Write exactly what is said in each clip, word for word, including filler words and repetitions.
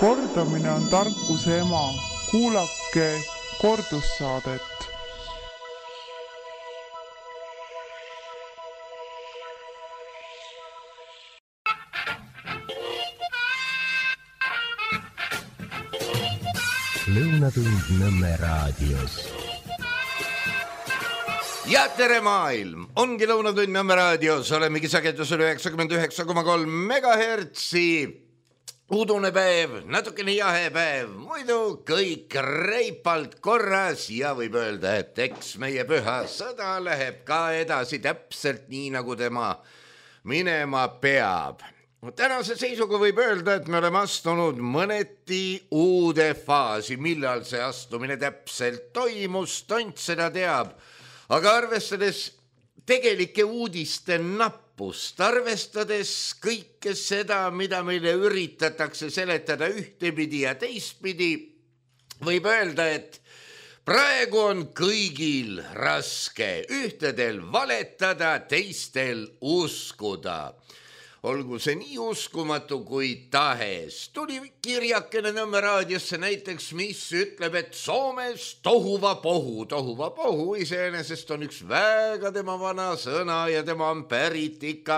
Kordamine on tarkuse ema. Kuulake kordussaadet. Lõunatund Nõmme raadios. Ja tere maailm! Ongi Lõunatund Nõmme raadios. Olemegi sagedusel üheksakümmend üheksa koma kolm megahertsi. Udune päev, natukene jahe päev. Muidu kõik reipalt korras ja võib öelda, et eks meie püha sõda läheb ka edasi täpselt nii, nagu tema minema peab. Tänase seisuga võib öelda, et me oleme astunud mõneti uude faasi, millal see astumine täpselt toimus, tont seda teab. Aga arvestades tegelike uudiste nappust, arvestades kõike seda, mida meile üritatakse seletada ühtepidi ja teistpidi, võib öelda, et praegu on kõigil raske ühtedel valetada, teistel uskuda. Olgu see nii uskumatu kui tahes. Tuli kirjakene Nõmme raadiosse näiteks, mis ütleb, et Soomes tohuva pohu. Tohuva pohu iseenesest on üks väga tema vana sõna ja tema on pärit ikka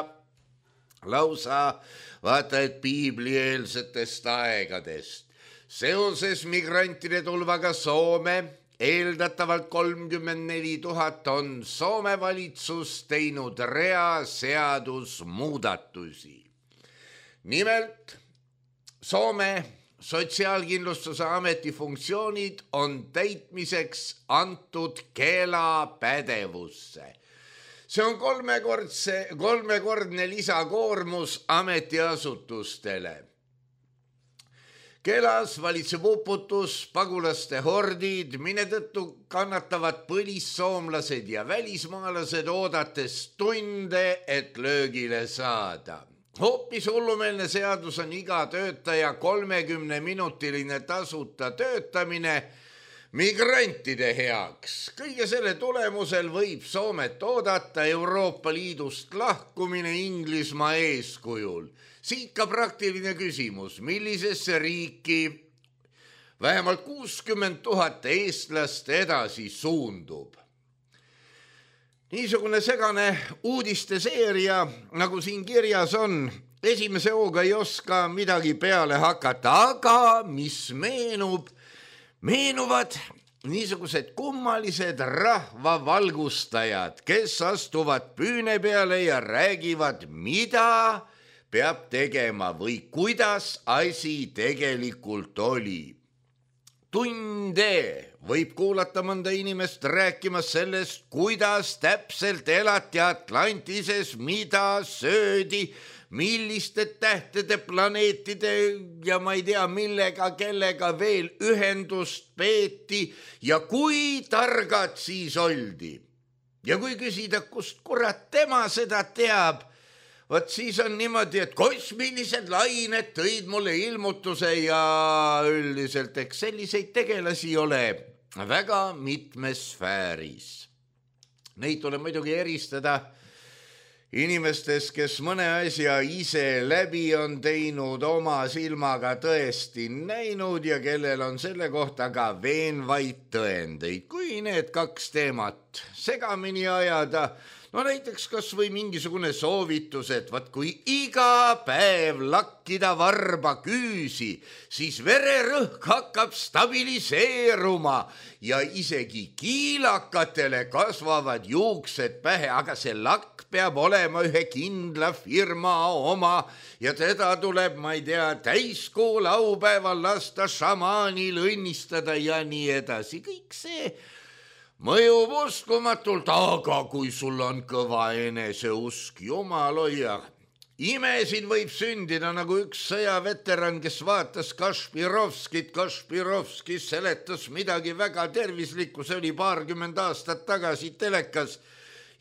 lausa vaata, et piiblieelsetest aegadest. Seoses migrantide tulvaga Soome eeldatavalt kolmkümmend neli tuhat on Soome valitsus teinud rea seadusmuudatusi. Nimelt, Soome sotsiaalkindlustuse ameti funktsioonid on täitmiseks antud Kela pädevusse. See on kolmekordse, kolmekordne lisakoormus ametiasutustele. Kelas valitseb uputus, pagulaste hordid, mille tõttu kannatavad põlissoomlased ja välismaalased oodates tunde, et löögile saada. Hoopis hullumeelne seadus on iga töötaja kolmekümne minutiline tasuta töötamine migrantide heaks. Kõige selle tulemusel võib Soomet oodata Euroopa Liidust lahkumine Inglismaa eeskujul. Siit ka praktiline küsimus, millisesse riiki vähemalt kuuskümmend tuhat eestlast edasi suundub. Niisugune segane uudiste seeria, nagu siin kirjas on, esimese hooga ei oska midagi peale hakata, aga mis meenub, meenuvad niisugused kummalised rahvavalgustajad, kes astuvad püüne peale ja räägivad, mida peab tegema või kuidas asi tegelikult oli. Tunde võib kuulata mõnda inimest rääkimas sellest, kuidas täpselt elati Atlantises, mida söödi, milliste tähtede, planeetide ja ma ei tea millega, kellega veel ühendust peeti ja kui targad siis oldi. Ja kui küsida, kust kurat tema seda teab, Vot siis on niimoodi, et kosmilised lained tõid mulle ilmutuse ja üldiselt eks selliseid tegelasi ole väga mitmes sfääris. Neid tuleb muidugi eristada inimestes, kes mõne asja ise läbi on teinud, oma silmaga tõesti näinud ja kellel on selle kohta ka veenvaid tõendeid. Kui need kaks teemat segamini ajada, no näiteks kas või mingisugune soovitus, et vaat kui iga päev lakkida varba küüsi, siis vererõhk hakkab stabiliseeruma ja isegi kiilakatele kasvavad juuksed pähe, aga see lakk peab olema ühe kindla firma oma ja teda tuleb, ma ei tea, täiskuu laupäeval lasta šamaanil õnnistada ja nii edasi. Kõik see mõjub uskumatult, aga kui sul on kõva eneseusk, jumal hoia. Imesid võib sündida nagu üks sõjaveteran, kes vaatas Kašpirovskit. Kašpirovski seletas midagi väga tervislikku, see oli paarkümmend aastat tagasi telekas.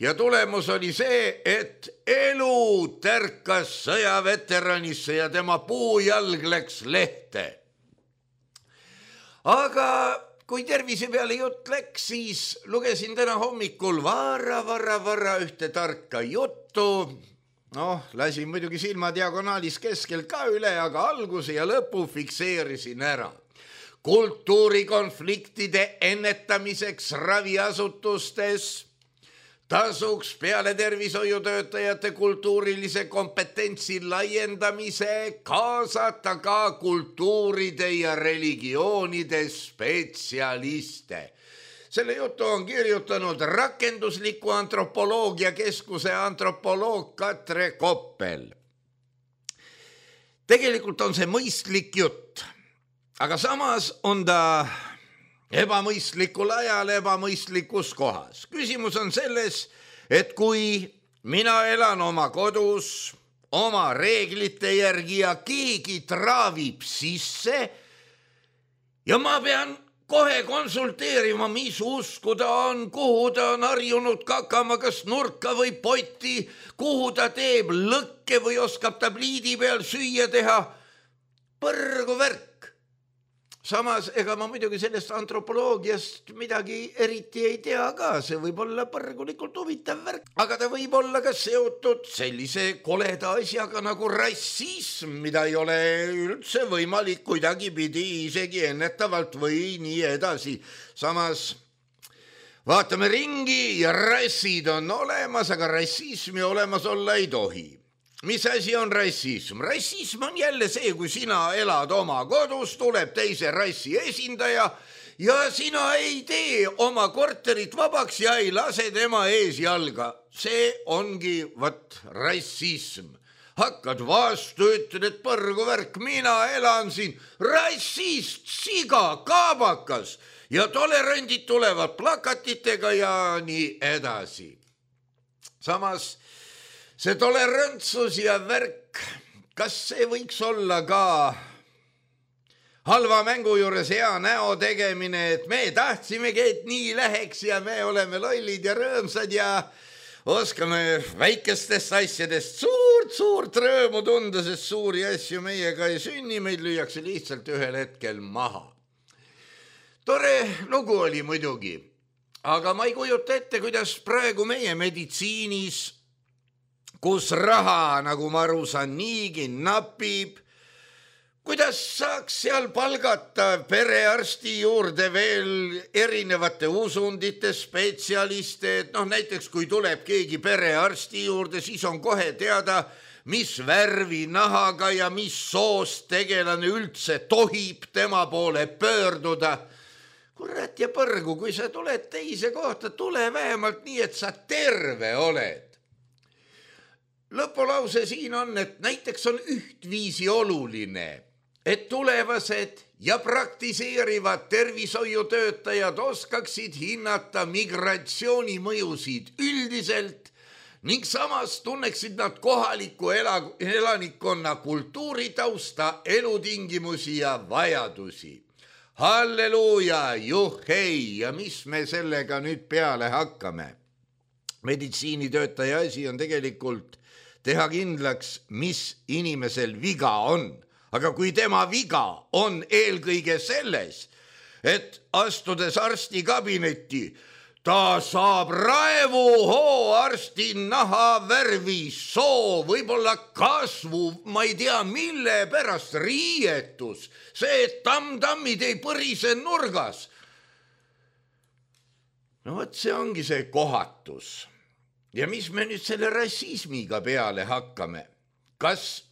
Ja tulemus oli see, et elu tärkas sõjaveteranisse ja tema puujalg läks lehte. Aga kui tervise peale jutt läks, siis lugesin täna hommikul varra, varra, varra ühte tarka juttu. noh, lasin muidugi silma diagonaalis keskel ka üle, aga alguse ja lõpu fikseerisin ära. Kultuurikonfliktide ennetamiseks raviasutustes tasuks peale tervishoiutöötajate kultuurilise kompetentsi laiendamise kaasata ka kultuuride ja religioonide spetsialiste. Selle jutu on kirjutanud rakendusliku antropoloogia keskuse antropoloog Katre Koppel. Tegelikult on see mõistlik jutt, aga samas on ta ebamõistlikul ajal ebamõistlikus kohas. Küsimus on selles, et kui mina elan oma kodus, oma reeglite järgi ja keegi traavib sisse ja ma pean kohe konsulteerima, mis usku ta on, kuhu ta on harjunud kakama, kas nurka või potti, kuhu ta teeb lõkke või oskab ta pliidi peal süüa teha. Põrgu värk. Samas, ega ma muidugi sellest antropoloogiast midagi eriti ei tea ka, see võib olla põrgulikult huvitav värk, aga ta võib olla ka seotud sellise koleda asjaga nagu rassism, mida ei ole üldse võimalik kuidagi pidi isegi ennetavalt või nii edasi. Samas vaatame ringi ja rassid on olemas, aga rassismi olemas olla ei tohi. Mis asi on rassism? Rassism on jälle see, kui sina elad oma kodus, tuleb teise rassi esindaja ja sina ei tee oma korterit vabaks ja ei lase tema ees jalga. See ongi vat rassism. Hakkad vastu, ütled, et põrgu värk, mina elan siin, rassist, siga, kaabakas ja tolerandid tulevad plakatitega ja nii edasi. Samas see tolerantsus ja värk, kas see võiks olla ka halva mängu juures hea näo tegemine, et me tahtsimegi, et nii läheks ja me oleme lollid ja rõõmsad ja oskame väikestest asjadest suurt-suurt rõõmu tunda, sest suuri asju meiega ei sünni, meid lüüakse lihtsalt ühel hetkel maha. Tore lugu oli muidugi, aga ma ei kujuta ette, kuidas praegu meie meditsiinis, kus raha, nagu ma aru saan, niigi napib, kuidas saaks seal palgata perearsti juurde veel erinevate usundite spetsialiste, et noh, näiteks kui tuleb keegi perearsti juurde, siis on kohe teada, mis värvi nahaga ja mis soost tegelane üldse tohib tema poole pöörduda. Kurat ja põrgu, kui sa tuled teise kohta, tule vähemalt nii, et sa terve oled. Lõpulause siin on, et näiteks on ühtviisi oluline, et tulevased ja praktiseerivad tervishoiutöötajad oskaksid hinnata migratsiooni mõjusid üldiselt ning samas tunneksid nad kohaliku elanikkonna kultuuritausta, elutingimusi ja vajadusi. Halleluuja, juhhei, ja mis me sellega nüüd peale hakkame? Meditsiinitöötaja asi on tegelikult teha kindlaks, mis inimesel viga on. Aga kui tema viga on eelkõige selles, et astudes arsti kabinetti, ta saab raevuhoo arsti naha värvi, soo, võib-olla kasvu, ma ei tea mille pärast, riietus, see, et tamm-tammid ei põrise nurgas. No võt, see ongi see kohatus. Ja mis me nüüd selle rassismiga peale hakkame? Kas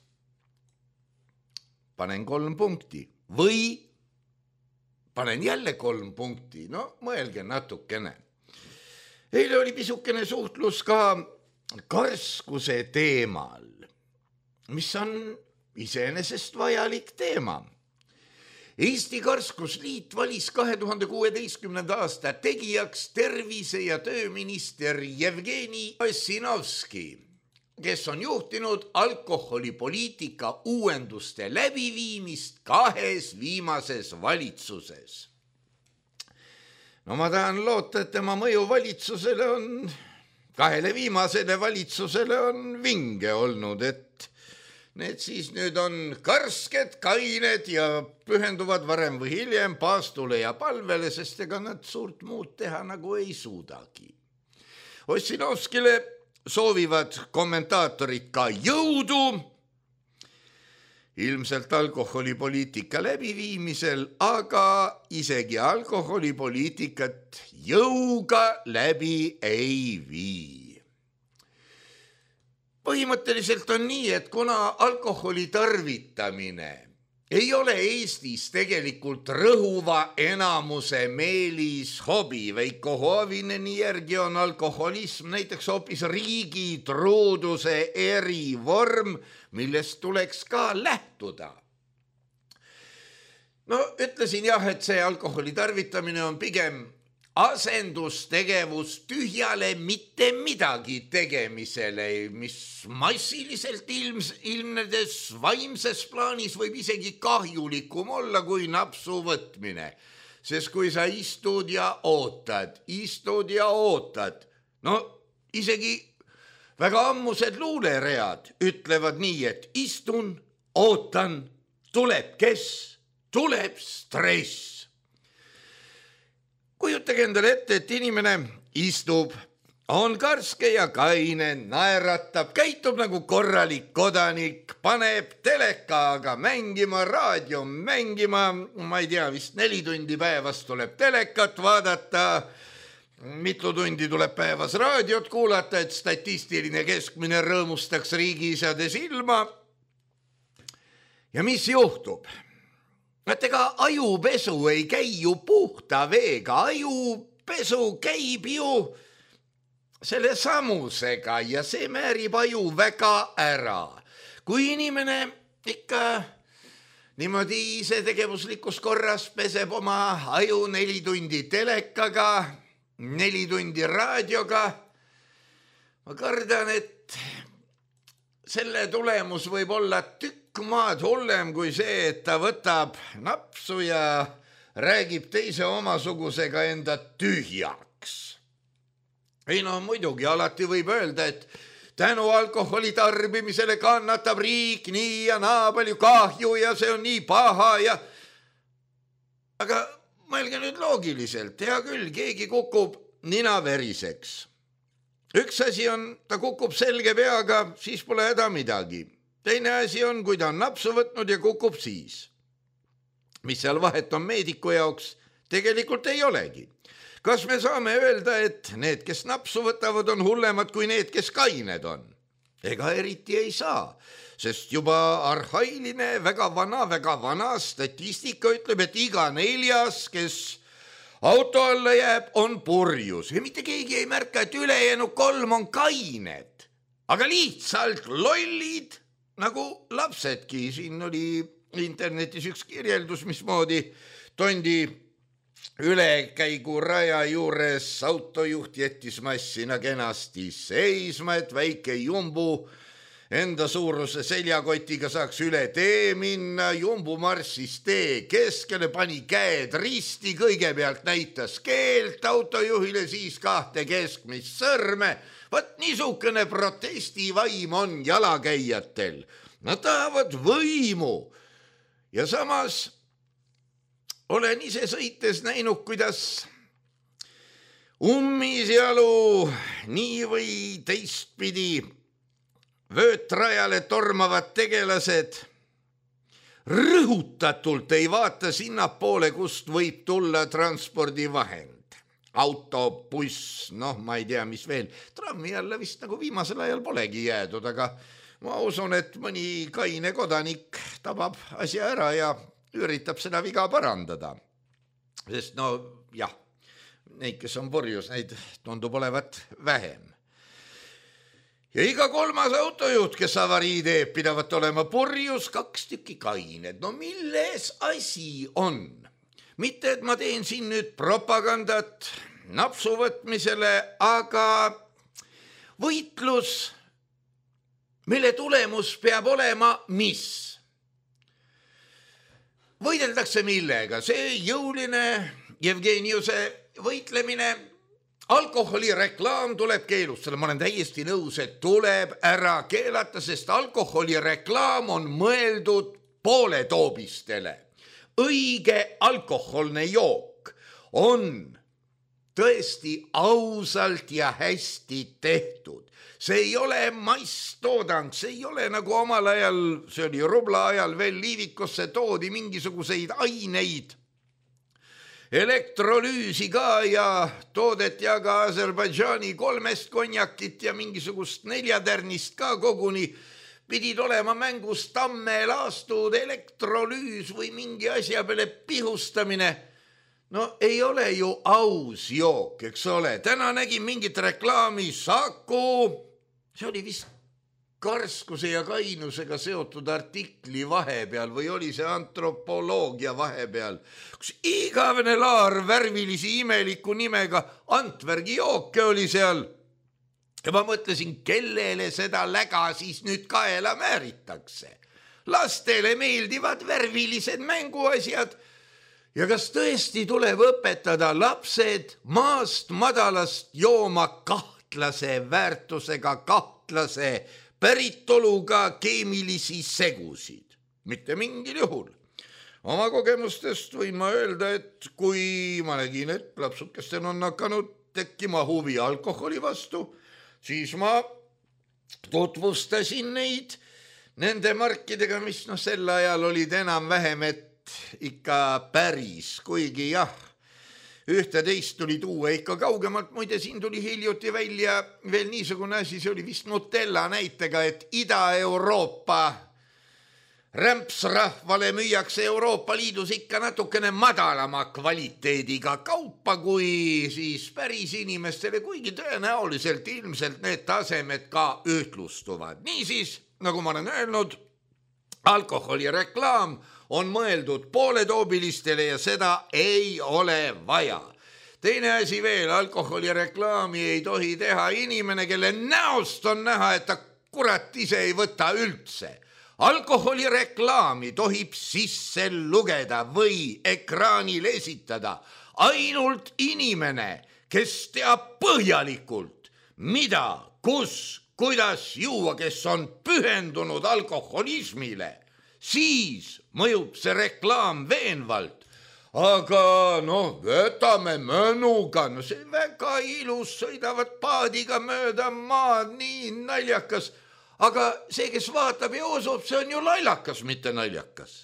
panen kolm punkti või panen jälle kolm punkti? No mõelge natukene. Eile oli pisukene suhtlus ka karskuse teemal, mis on iseenesest vajalik teema. Eesti Karskusliit valis kahe tuhande kuueteistkümnenda aasta tegijaks tervise- ja tööminister Jevgeni Ossinovski, kes on juhtinud alkoholipoliitika uuenduste läbiviimist kahes viimases valitsuses. No ma tahan loota, et tema mõju valitsusele on, kahele viimasele valitsusele on vinge olnud, et need siis nüüd on karsked, kained ja pühenduvad varem või hiljem paastule ja palvele, sest ega nad suurt muud teha nagu ei suudagi. Ossinovskile soovivad kommentaatorid ka jõudu ilmselt alkoholipoliitika läbiviimisel, aga isegi alkoholipoliitikat jõuga läbi ei vii. Põhimõtteliselt on nii, et kuna alkoholi tarvitamine ei ole Eestis tegelikult rõhuva enamuse meelis hobi, Veiko Hoavineni järgi on alkoholism näiteks hoopis riigi truuduse erivorm, millest tuleks ka lähtuda. No ütlesin jah, et see alkoholi tarvitamine on pigem asendustegevus tühjale mitte midagi tegemisele, mis massiliselt ilms, ilmnedes vaimses plaanis võib isegi kahjulikum olla kui napsu võtmine. Sest kui sa istud ja ootad, istud ja ootad, no isegi väga ammused luuleread ütlevad nii, et istun, ootan, tuleb kes, tuleb stress. Kujutage endale ette, et inimene istub, on karske ja kaine, naeratab, käitub nagu korralik kodanik, paneb telekaga mängima, raadio mängima, ma ei tea, vist neli tundi päevas tuleb telekat vaadata, mitu tundi tuleb päevas raadiot kuulata, et statistiline keskmine rõõmustaks riigiisade silma. Ja mis juhtub? Et ega ajupesu ei käi ju puhta veega, ajupesu käib ju selle samusega ja see määrib aju väga ära. Kui inimene ikka niimoodi ise tegevuslikus korras peseb oma aju neli tundi telekaga, neli tundi raadioga, ma kardan, et selle tulemus võib olla tükk maad hullem kui see, et ta võtab napsu ja räägib teise omasugusega enda tühjaks. Ei no muidugi, alati võib öelda, et tänu alkoholi tarbimisele kannatab riik nii ja naa palju kahju ja see on nii paha ja... Aga mõelge nüüd loogiliselt, hea küll, keegi kukub nina veriseks. Üks asi on, ta kukub selge peaga, siis pole häda midagi. Teine asi on, kui ta on napsu võtnud ja kukub siis. Mis seal vahet on meediku jaoks? Tegelikult ei olegi. Kas me saame öelda, et need, kes napsu võtavad, on hullemad kui need, kes kained on? Ega eriti ei saa, sest juba arhailine, väga vana, väga vana statistika ütleb, et iga neljas, kes auto alla jääb, on purjus. Ja mitte keegi ei märka, et ülejäänu kolm on kained, aga lihtsalt lollid, nagu lapsedki. Siin oli internetis üks kirjeldus, mismoodi tondi ülekäigu raja juures autojuht jättis massina kenasti seisma, et väike jumbu enda suuruse seljakotiga saaks üle tee minna. Jumbu marssis tee keskele, pani käed risti, kõigepealt näitas keelt autojuhile, siis kahte keskmist sõrme. Vaat niisugune protestivaim on jalakäijatel. Nad tahavad võimu. Ja samas olen ise sõites näinud, kuidas ummisjalu nii või teistpidi vöötrajale tormavad tegelased rõhutatult ei vaata sinnapoole, kust võib tulla transpordivahend. Auto, buss, noh, ma ei tea, mis veel. Trammi alla vist nagu viimasel ajal polegi jäädud, aga ma usun, et mõni kaine kodanik tabab asja ära ja üritab seda viga parandada. Sest no jah, neid, kes on purjus, neid tundub olevat vähem. Ja iga kolmas autojuht, kes avarii teeb, pidavat olema purjus, kaks tükki kained. No milles asi on? Mitte, et ma teen siin nüüd propagandat napsu võtmisele, aga võitlus, mille tulemus peab olema mis? Võideldakse millega? See jõuline Jevgeniuse võitlemine, alkoholireklaam tuleb keelustada. Ma olen täiesti nõus, et tuleb ära keelata, sest alkoholireklaam on mõeldud pooletoobistele. Õige alkoholne jook on tõesti ausalt ja hästi tehtud. See ei ole masstoodang, see ei ole nagu omal ajal, see oli rubla ajal veel liivikosse toodi mingisuguseid aineid, elektrolüüsi ka ja toodeti aga Aserbaidžaani kolmest konjakit ja mingisugust neljatärnist ka koguni. Pidid olema mängus tamme laastud elektrolüüs või mingi asja peale pihustamine. No ei ole ju aus jook, eks ole. Täna nägin mingit reklaami Saku. See oli vist karskuse ja kainusega seotud artikli vahepeal või oli see antropoloogia vahepeal, kus igavene laar värvilisi imeliku nimega Antvergi jooke oli seal. Ja ma mõtlesin, kellele seda läga siis nüüd kaela määritakse. Lastele meeldivad värvilised mänguasjad. Ja kas tõesti tuleb õpetada lapsed maast madalast jooma kahtlase väärtusega, kahtlase päritoluga keemilisi segusid? Mitte mingil juhul. Oma kogemustest võin ma öelda, et kui ma nägin, et lapsukestel on hakanud tekkima huvi alkoholi vastu, siis ma tutvustasin neid nende markidega, mis no sel ajal olid enam vähem, et ikka päris, kuigi jah, ühte teist tuli tuua ikka kaugemalt. Muide, siin tuli hiljuti välja veel niisugune asi, see oli vist Nutella näitega, et Ida-Euroopa rämpsrahvale müüakse Euroopa Liidus ikka natukene madalama kvaliteediga kaupa kui siis päris inimestele, kuigi tõenäoliselt ilmselt need tasemed ka ühtlustuvad. Niisiis, nagu ma olen öelnud, alkoholireklaam on mõeldud pooletoobilistele ja seda ei ole vaja. Teine asi veel, alkoholireklaami ei tohi teha inimene, kelle näost on näha, et ta kurat ise ei võta üldse. Alkoholireklaami tohib sisse lugeda või ekraanil esitada ainult inimene, kes teab põhjalikult, mida, kus, kuidas juua, kes on pühendunud alkoholismile. Siis mõjub see reklaam veenvalt. Aga noh, võtame mõnuga, no see väga ilus, sõidavad paadiga mööda maad, nii naljakas. Aga see, kes vaatab ja usub, see on ju naljakas, mitte naljakas.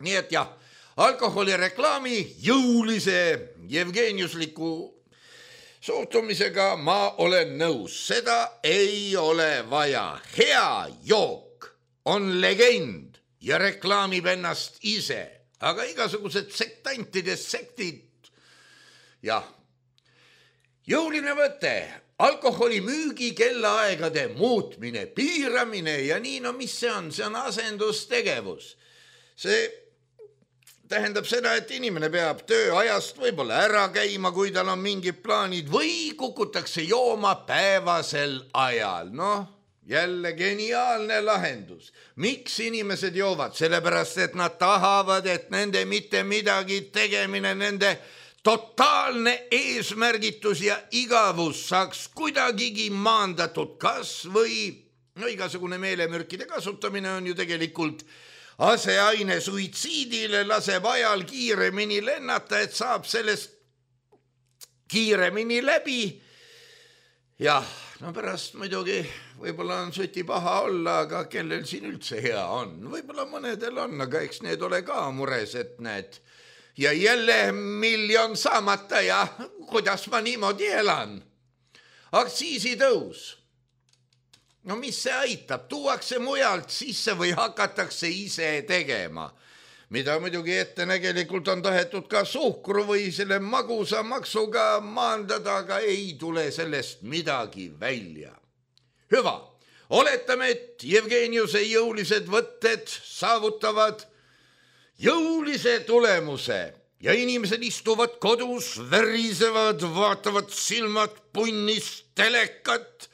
Nii et jah, alkoholireklaami jõulise Jevgeniusliku suhtumisega ma olen nõus. Seda ei ole vaja. Hea jook on legend ja reklaamib ennast ise, aga igasugused sektantide sektid. Jah, jõuline võte, alkoholi müügi kellaaegade muutmine, piiramine ja nii, no mis see on? See on asendustegevus. See tähendab seda, et inimene peab tööajast võib-olla ära käima, kui tal on mingid plaanid või kukutakse jooma päevasel ajal. Noh, jälle geniaalne lahendus. Miks inimesed joovad? Sellepärast, et nad tahavad, et nende mitte midagi tegemine, nende totaalne eesmärgitus ja igavus saaks kuidagigi maandatud, kas või no igasugune meelemürkide kasutamine on ju tegelikult aseaine suitsiidile, laseb ajal kiiremini lennata, et saab sellest kiiremini läbi. Jah, no pärast muidugi võib-olla on suti paha olla, aga kellel siin üldse hea on? Võib-olla mõnedel on, aga eks need ole ka mures, et need ja jälle miljon saamata ja kuidas ma niimoodi elan. Aktsiisitõus. No mis see aitab? Tuuakse mujalt sisse või hakatakse ise tegema? Mida muidugi ettenägelikult on tahetud ka suhkru või selle magusa maksuga maandada, aga ei tule sellest midagi välja. Hüva, oletame, et Jevgeniuse jõulised võtted saavutavad jõulise tulemuse ja inimesed istuvad kodus, värisevad, vaatavad silmad punnis telekat,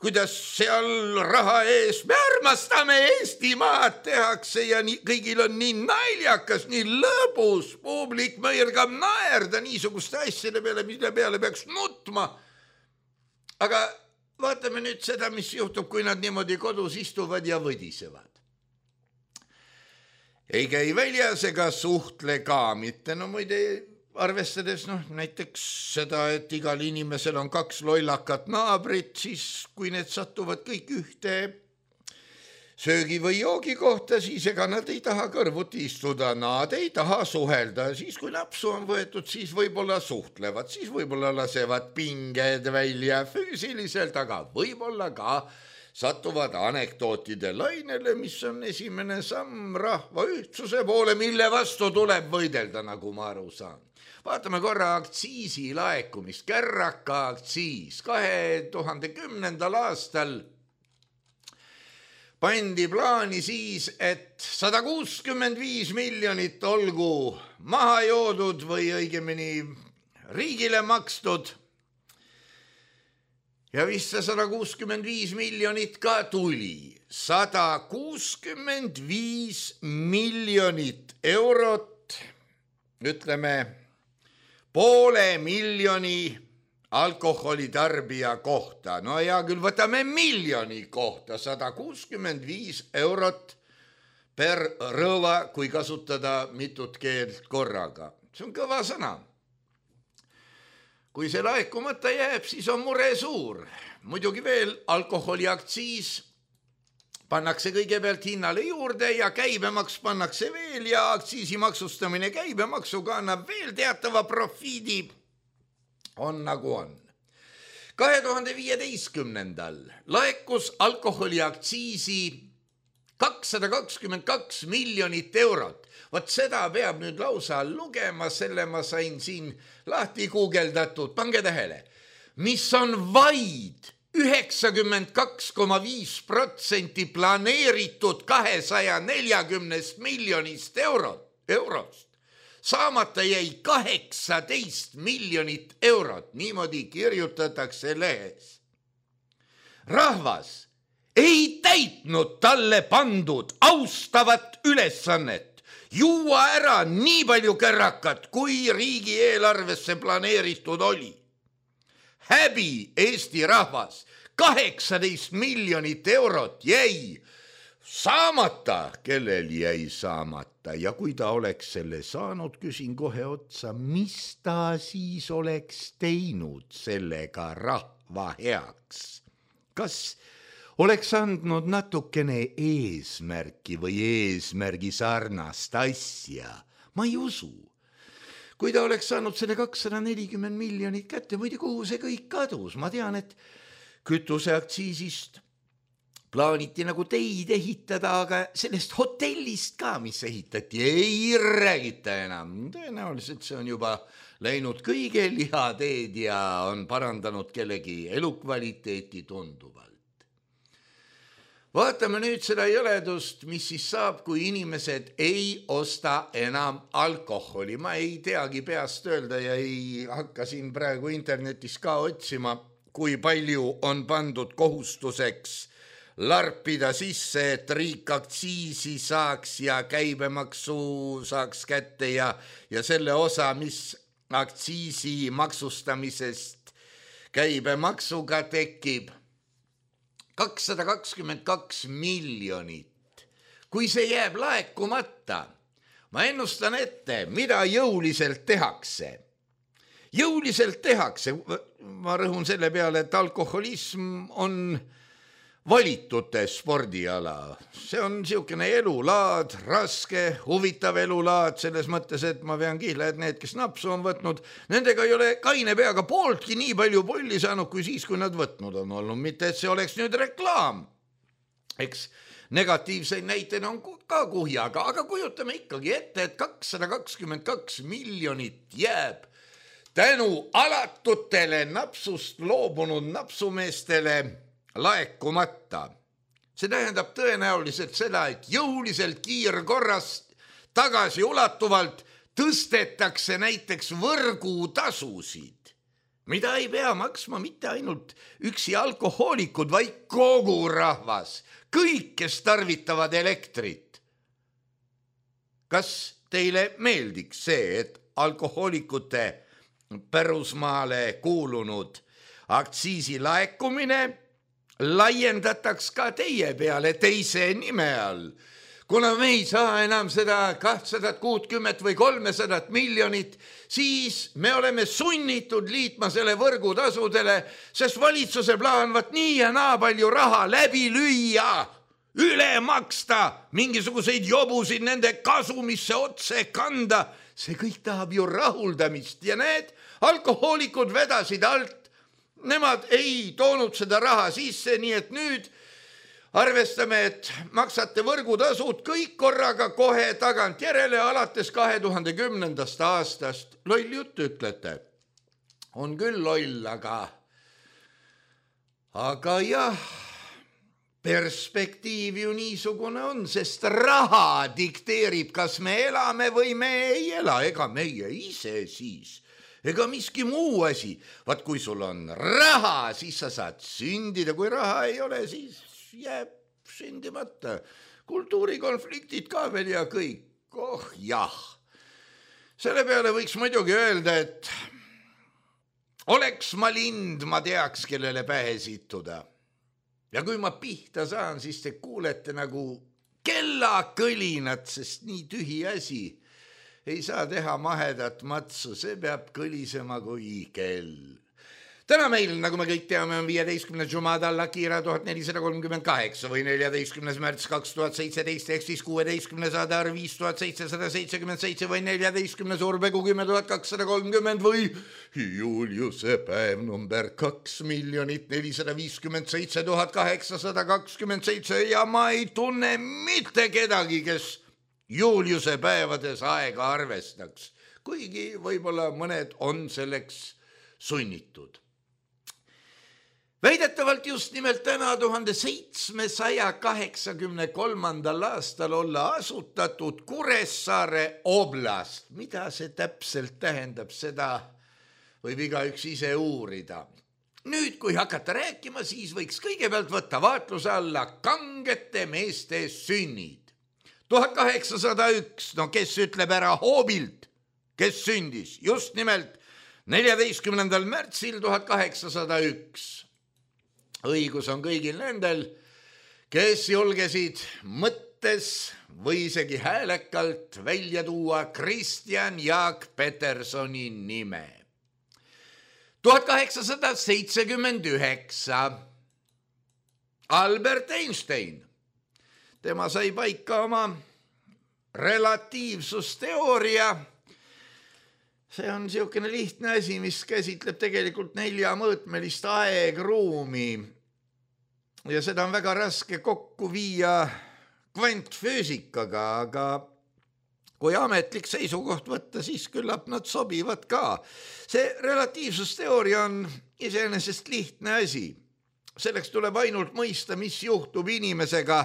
kuidas seal raha ees me armastame Eestimaad tehakse ja nii, kõigil on nii naljakas, nii lõbus, publik mõirgab naerda niisuguste asjade peale, mille peale peaks nutma. Aga vaatame nüüd seda, mis juhtub, kui nad niimoodi kodus istuvad ja võdisevad. Ei käi väljas ega suhtle ka mitte, no muide arvestades noh, näiteks seda, et igal inimesel on kaks lollakat naabrit, siis kui need satuvad kõik ühte söögi või joogi kohta, siis ega nad ei taha kõrvuti istuda, nad ei taha suhelda, siis kui napsu on võetud, siis võib-olla suhtlevad, siis võib-olla lasevad pinged välja füüsiliselt, aga võib-olla ka satuvad anekdootide lainele, mis on esimene samm rahva ühtsuse poole, mille vastu tuleb võidelda, nagu ma aru saan. Vaatame korra aktsiisi laekumist, kärraka aktsiis kahe tuhande kümnendal aastal pandi plaani siis, et sada kuuskümmend viis miljonit olgu maha joodud või õigemini riigile makstud. Ja vist see sada kuuskümmend viis miljonit ka tuli. sada kuuskümmend viis miljonit eurot, ütleme, poole miljoni alkoholitarbija kohta. No ja küll võtame miljoni kohta, sada kuuskümmend viis eurot per rõva, kui kasutada mitut keelt korraga. See on kõva sõna. Kui see laekumata jääb, siis on mure suur. Muidugi veel alkoholiaktsiis pannakse kõigepealt hinnale juurde ja käibemaks pannakse veel ja aktsiisi maksustamine käibemaksuga annab veel teatava profiidi. On nagu on. kahe tuhande viieteistkümnendal laekus alkoholiaktsiisi kakssada kakskümmend kaks miljonit eurot. Vot seda peab nüüd lausa lugema, selle ma sain siin lahti guugeldatud. Pange tähele, mis on vaid üheksakümmend kaks koma viis protsenti planeeritud kahesaja neljakümnest miljonist eurot, eurost. Saamata jäi kaheksateist miljonit eurot, niimoodi kirjutatakse lehes. Rahvas ei täitnud talle pandud austavat ülesannet juua ära nii palju kärrakat, kui riigieelarvesse planeeritud oli. Häbi Eesti rahvas, kaheksateist miljonit eurot jäi saamata, kellel jäi saamata ja kui ta oleks selle saanud, küsin kohe otsa, mis ta siis oleks teinud sellega rahva heaks? Kas oleks andnud natukene eesmärki või eesmärgi sarnast asja? Ma ei usu. Kui ta oleks saanud selle kakssada nelikümmend miljonit kätte, muide kuhu see kõik kadus? Ma tean, et kütuseaktsiisist plaaniti nagu teid ehitada, aga sellest hotellist ka, mis ehitati, ei räägita enam. Tõenäoliselt see on juba läinud kõige lihateed ja on parandanud kellegi elukvaliteeti tunduvalt. Vaatame nüüd seda jõledust, mis siis saab, kui inimesed ei osta enam alkoholi. Ma ei teagi peast öelda ja ei hakka siin praegu internetis ka otsima, kui palju on pandud kohustuseks larpida sisse, et riik aktsiisi saaks ja käibemaksu saaks kätte ja, ja selle osa, mis aktsiisi maksustamisest käibemaksuga tekib, kakssada kakskümmend kaks miljonit. Kui see jääb laekumata, ma ennustan ette, mida jõuliselt tehakse. Jõuliselt tehakse, ma rõhun selle peale, et alkoholism on valitute spordiala. See on niisugune elulaad, raske, huvitav elulaad, selles mõttes, et ma vean kihla, et need, kes napsu on võtnud, nendega ei ole kaine peaga pooltki nii palju polli saanud, kui siis, kui nad võtnud on olnud. Mitte, et see oleks nüüd reklaam. Eks negatiivseid näiteid on ka kuhjaga, aga kujutame ikkagi ette, et kakssada kakskümmend kaks miljonit jääb tänu alatutele napsust loobunud napsumeestele laekumata. See tähendab tõenäoliselt seda, et jõuliselt kiirkorras tagasi ulatuvalt tõstetakse näiteks võrgutasusid, mida ei pea maksma mitte ainult üksi alkohoolikud, vaid kogu rahvas, kõik, kes tarvitavad elektrit. Kas teile meeldiks see, et alkohoolikute pärusmaale kuulunud aktsiisi laekumine laiendataks ka teie peale teise nime all? kuna me ei saa enam seda kahtesadat kuutkümmet või kolmesadat miljonit, siis me oleme sunnitud liitma selle võrgutasudele, sest valitsuse plaan vaat nii ja naa palju raha läbi lüüa, üle maksta, mingisuguseid jobusid nende kasumisse otse kanda. See kõik tahab ju rahuldamist ja need alkohoolikud vedasid alt. Nemad ei toonud seda raha sisse, nii et nüüd arvestame, et maksate võrgutasud kõik korraga kohe tagant järele alates kahe tuhande kümnendast aastast. Loll jutt ütlete. On küll loll, aga, aga jah, perspektiiv ju niisugune on, sest raha dikteerib, kas me elame või me ei ela, ega meie ise siis. Ega miski muu asi. Vaat kui sul on raha, siis sa saad sündida, kui raha ei ole, siis jääb sündimata. Kultuurikonfliktid ka veel ja kõik. Oh jah. Selle peale võiks muidugi öelda, et oleks ma lind, ma teaks, kellele pähe situda. Ja kui ma pihta saan, siis te kuulete nagu kellakõlinat, sest nii tühi asi. Ei saa teha mahedat matsu, see peab kõlisema kui kell. Täna meil, nagu me kõik teame, on viieteistkümnes Jumada Al-Akira tuhat nelisada kolmkümmend kaheksa või neljateistkümnes märts kaks tuhat seitseteist ehk siis kuueteistkümnes Adar viis tuhat seitsesada seitsekümmend seitse või neljateistkümnes Urbegu kümme tuhat kakssada kolmkümmend või Juliuse päev number kaks miljonit nelisada viiskümmend seitse tuhat kaheksasada kakskümmend seitse ja ma ei tunne mitte kedagi, kes Juliuse päevades aega arvestaks, kuigi võib-olla mõned on selleks sunnitud. Väidetavalt just nimelt täna tuhande seitsmesaja kaheksakümne kolmandal aastal olla asutatud Kuressaare oblast. Mida see täpselt tähendab, seda võib igaüks ise uurida. Nüüd, kui hakata rääkima, siis võiks kõigepealt võtta vaatluse alla kangete meeste sünnid. tuhat kaheksasada üks, no kes ütleb ära hoobilt, kes sündis just nimelt neljateistkümnendal märtsil tuhat kaheksasada üks. Õigus on kõigil nendel, kes julgesid mõttes või isegi häälekalt välja tuua Kristjan Jaak Petersoni nime. tuhat kaheksasada seitsekümmend üheksa. Albert Einstein. Tema sai paika oma relatiivsusteooria. See on niisugune lihtne asi, mis käsitleb tegelikult neljamõõtmelist aegruumi. Ja seda on väga raske kokku viia kvantfüüsikaga, aga kui ametlik seisukoht võtta, siis küllap nad sobivad ka. See relatiivsusteooria on iseenesest lihtne asi. Selleks tuleb ainult mõista, mis juhtub inimesega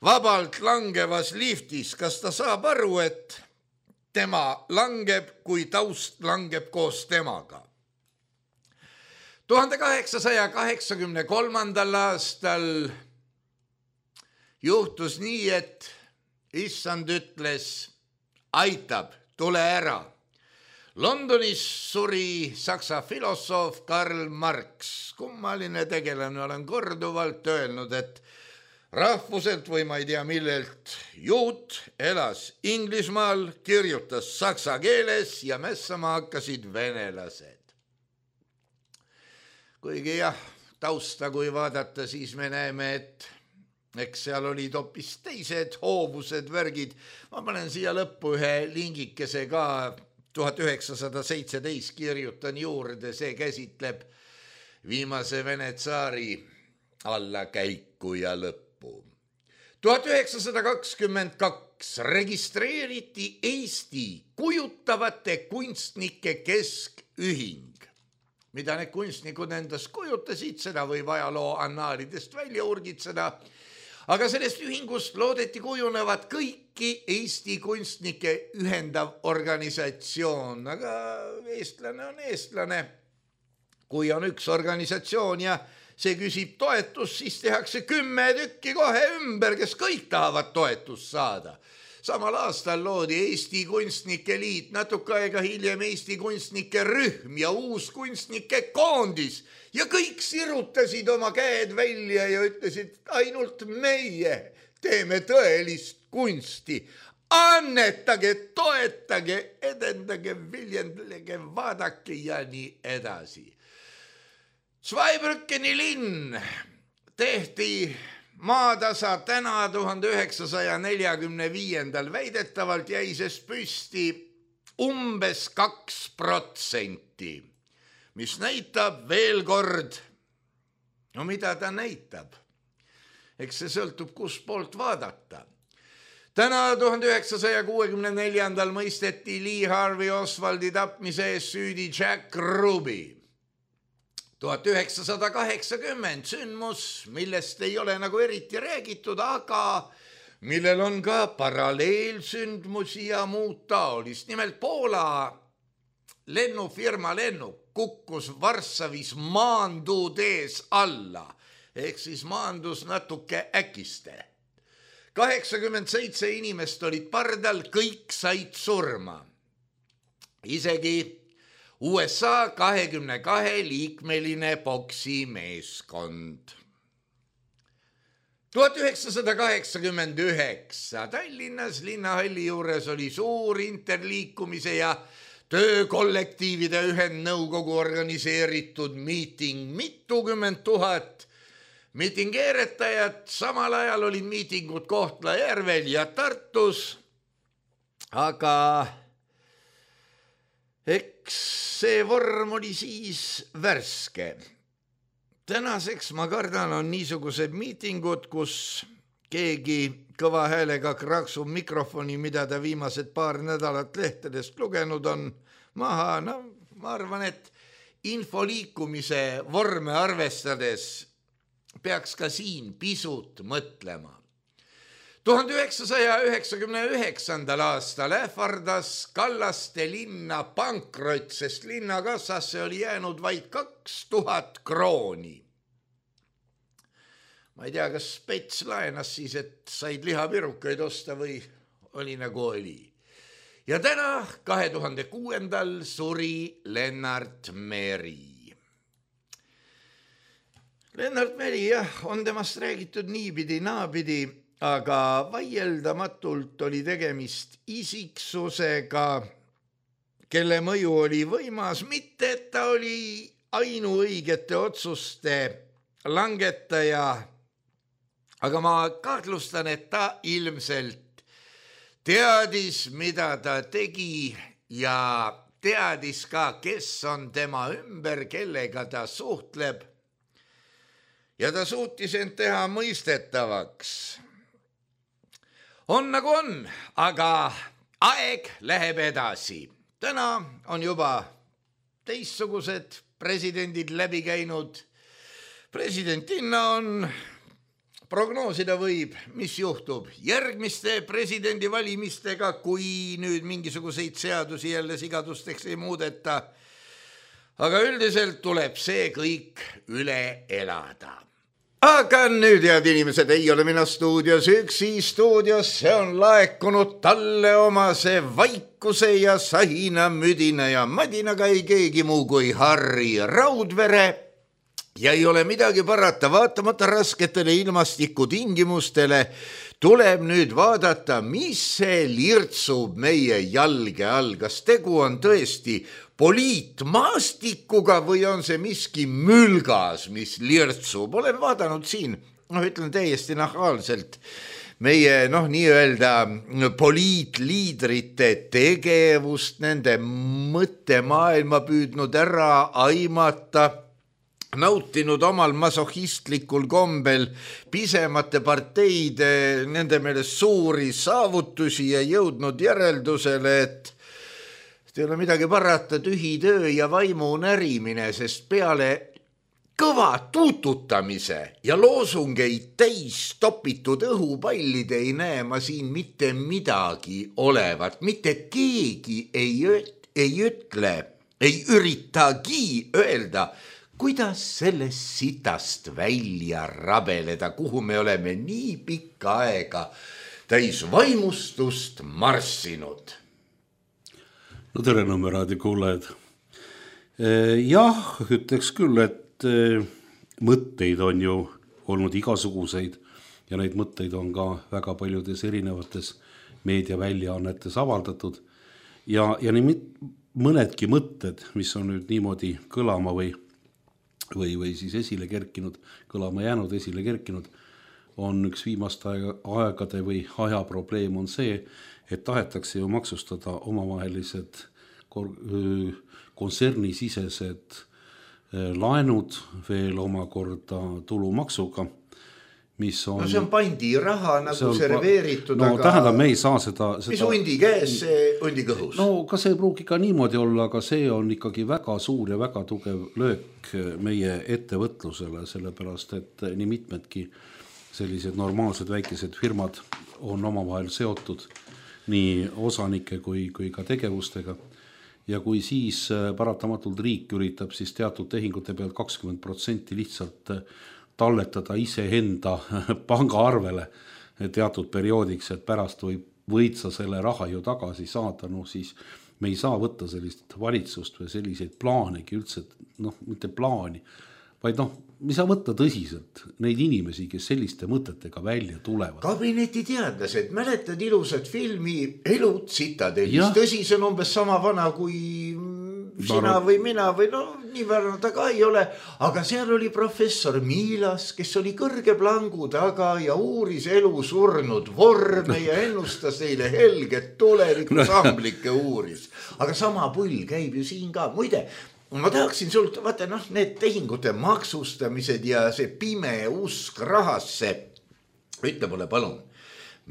vabalt langevas liftis. Kas ta saab aru, et tema langeb, kui taust langeb koos temaga. tuhande kaheksasaja kaheksakümne kolmandal aastal juhtus nii, et issand ütles, aitab, tule ära. Londonis suri saksa filosoof Karl Marx. Kummaline tegelane, olen korduvalt öelnud, et rahvuselt või ma ei tea millelt juut elas Inglismaal, kirjutas saksa keeles ja mässama hakkasid venelased. Kuigi jah, tausta kui vaadata, siis me näeme, et eks seal olid hoopis teised hoovused värgid. Ma panen siia lõppu ühe lingikese ka, tuhat üheksasada seitseteist kirjutan juurde, see käsitleb viimase Vene tsaari allakäiku ja lõppu. tuhat üheksasada kakskümmend kaks registreeriti Eesti kujutavate kunstnike keskühing. Mida need kunstnikud endast kujutasid, seda võib ajaloo annaalidest välja urgitseda, aga sellest ühingust loodeti kujunevat kõiki Eesti kunstnike ühendav organisatsioon, aga eestlane on eestlane. Kui on üks organisatsioon ja see küsib toetust, siis tehakse kümme tükki kohe ümber, kes kõik tahavad toetust saada. Samal aastal loodi Eesti Kunstnike Liit, natuke aega hiljem Eesti Kunstnike Rühm ja uus kunstnike koondis ja kõik sirutasid oma käed välja ja ütlesid, ainult meie teeme tõelist kunsti. Annetage, toetage, edendage, viljendage, vaadake ja nii edasi. Zweibrückeni linn tehti maatasa täna tuhande üheksasaja neljakümne viiendal. Väidetavalt jäi sest püsti umbes kaks protsenti, mis näitab veel kord, no mida ta näitab. Eks see sõltub, kus poolt vaadata. Täna tuhande üheksasaja kuuekümne neljandal mõisteti Lee Harvey Oswaldi tapmise ees süüdi Jack Ruby. tuhat üheksasada kaheksakümmend sündmus, millest ei ole nagu eriti räägitud, aga millel on ka paralleelsündmusi ja muud taolist. Nimelt Poola lennufirma lennuk kukkus Varssavis maanduutees alla, ehk siis maandus natuke äkiste. kaheksakümmend seitse inimest olid pardal, kõik said surma. Isegi U S A kahekümne kahe liikmeline poksimeeskond. tuhat üheksasada kaheksakümmend üheksa Tallinnas linnahalli juures oli suur interliikumise ja töökollektiivide ühendnõukogu organiseeritud miiting. Mitukümmend tuhat miitingeeretajad, samal ajal olid miitingud Kohtla-Järvel ja Tartus, aga eks see vorm oli siis värske. Tänaseks, ma kardan, on niisugused miitingud, kus keegi kõva häälega kraksub mikrofoni, mida ta viimased paar nädalat lehtedest lugenud on, maha. No, ma arvan, et infoliikumise vorme arvestades peaks ka siin pisut mõtlema. tuhande üheksasaja üheksakümne üheksandal aastal ähvardas Kallaste linna pankrot, sest linnakassasse oli jäänud vaid kaks tuhat krooni. Ma ei tea, kas Spets laenas siis, et said lihapirukaid osta või oli nagu oli. Ja täna kahe tuhande kuuendal suri Lennart Meri. Lennart Meri, jah, on temast räägitud niipidi, naapidi, aga vaieldamatult oli tegemist isiksusega, kelle mõju oli võimas, mitte et ta oli ainuõigete otsuste langetaja, aga ma kahtlustan, et ta ilmselt teadis, mida ta tegi ja teadis ka, kes on tema ümber, kellega ta suhtleb. Ja ta suutis end teha mõistetavaks. On nagu on, aga aeg läheb edasi. Täna on juba teistsugused presidendid läbi käinud. Presidentinna on, prognoosida võib, mis juhtub järgmiste presidendivalimistega, kui nüüd mingisuguseid seadusi jälle sigadusteks ei muudeta. Aga üldiselt tuleb see kõik üle elada. Aga nüüd, head inimesed, ei ole mina stuudios üksi. Stuudios see on laekunud talle omase vaikuse ja sahina, müdina ja madinaga ei keegi muu kui Harri Raudvere. Ja ei ole midagi parata, vaatamata rasketele ilmastikutingimustele tuleb nüüd vaadata, mis see lirtsub meie jalge all. Kas tegu on tõesti poliitmaastikuga või on see miski mülgas, mis lirtsub? Olen vaadanud siin, noh, ütlen täiesti nahaalselt, meie, noh, nii-öelda poliitliidrite tegevust, nende mõttemaailma püüdnud ära aimata, nautinud omal masohistlikul kombel pisemate parteide, nende meelest suuri saavutusi ja jõudnud järeldusele, et ei ole midagi parata, tühi töö ja vaimu närimine, sest peale kõva tuututamise ja loosungeid täis topitud õhupallide ei näe ma siin mitte midagi olevat. Mitte keegi ei, ei ütle, ei üritagi öelda, kuidas sellest sitast välja rabeleda, kuhu me oleme nii pikka aega täis vaimustust marssinud. No tere, Nõmme raadio kuulajad. Jah, ütleks küll, et mõtteid on ju olnud igasuguseid ja neid mõtteid on ka väga paljudes erinevates meediaväljaannetes avaldatud ja, ja nii mõnedki mõtted, mis on nüüd niimoodi kõlama või, või, või siis esile kerkinud, kõlama jäänud, esile kerkinud, on üks viimaste aegade või aja probleem on see, et tahetakse ju maksustada omavahelised kontsernisisesed laenud veel omakorda tulumaksuga, mis on... No see on pandi raha nagu see, on, see reveeritud, no, aga... tähendab, me ei saa seda... seda... Mis hundi käes, see hundi kõhus? No ka see pruugi ka niimoodi olla, aga see on ikkagi väga suur ja väga tugev löök meie ettevõtlusele, sellepärast, et nii mitmedki sellised normaalsed väikesed firmad on omavahel seotud nii osanike kui, kui ka tegevustega. Ja kui siis paratamatult riik üritab siis teatud tehingute pealt kakskümmend protsenti lihtsalt talletada iseenda pangaarvele teatud perioodiks, et pärast võib, võid sa selle raha ju tagasi saada, no siis me ei saa võtta sellist valitsust või selliseid plaanegi üldse, noh, mitte plaani, vaid noh, me saa võtta tõsiselt neid inimesi, kes selliste mõtetega välja tulevad. Kabinetiteadlased, mäletad ilusat filmi Elud Citadelis, tõsi see on umbes sama vana kui sina või mina või no nii vana ta ka ei ole, aga seal oli professor Miilas, kes oli kõrge plangu taga ja uuris elu surnud vorme ja ennustas neile helget tuleviku samblikke uuris. Aga sama pull käib ju siin ka. Muide, ma tahaksin sult, vaata noh, need tehingute maksustamised ja see pime usk rahasse. Ütle mulle palun,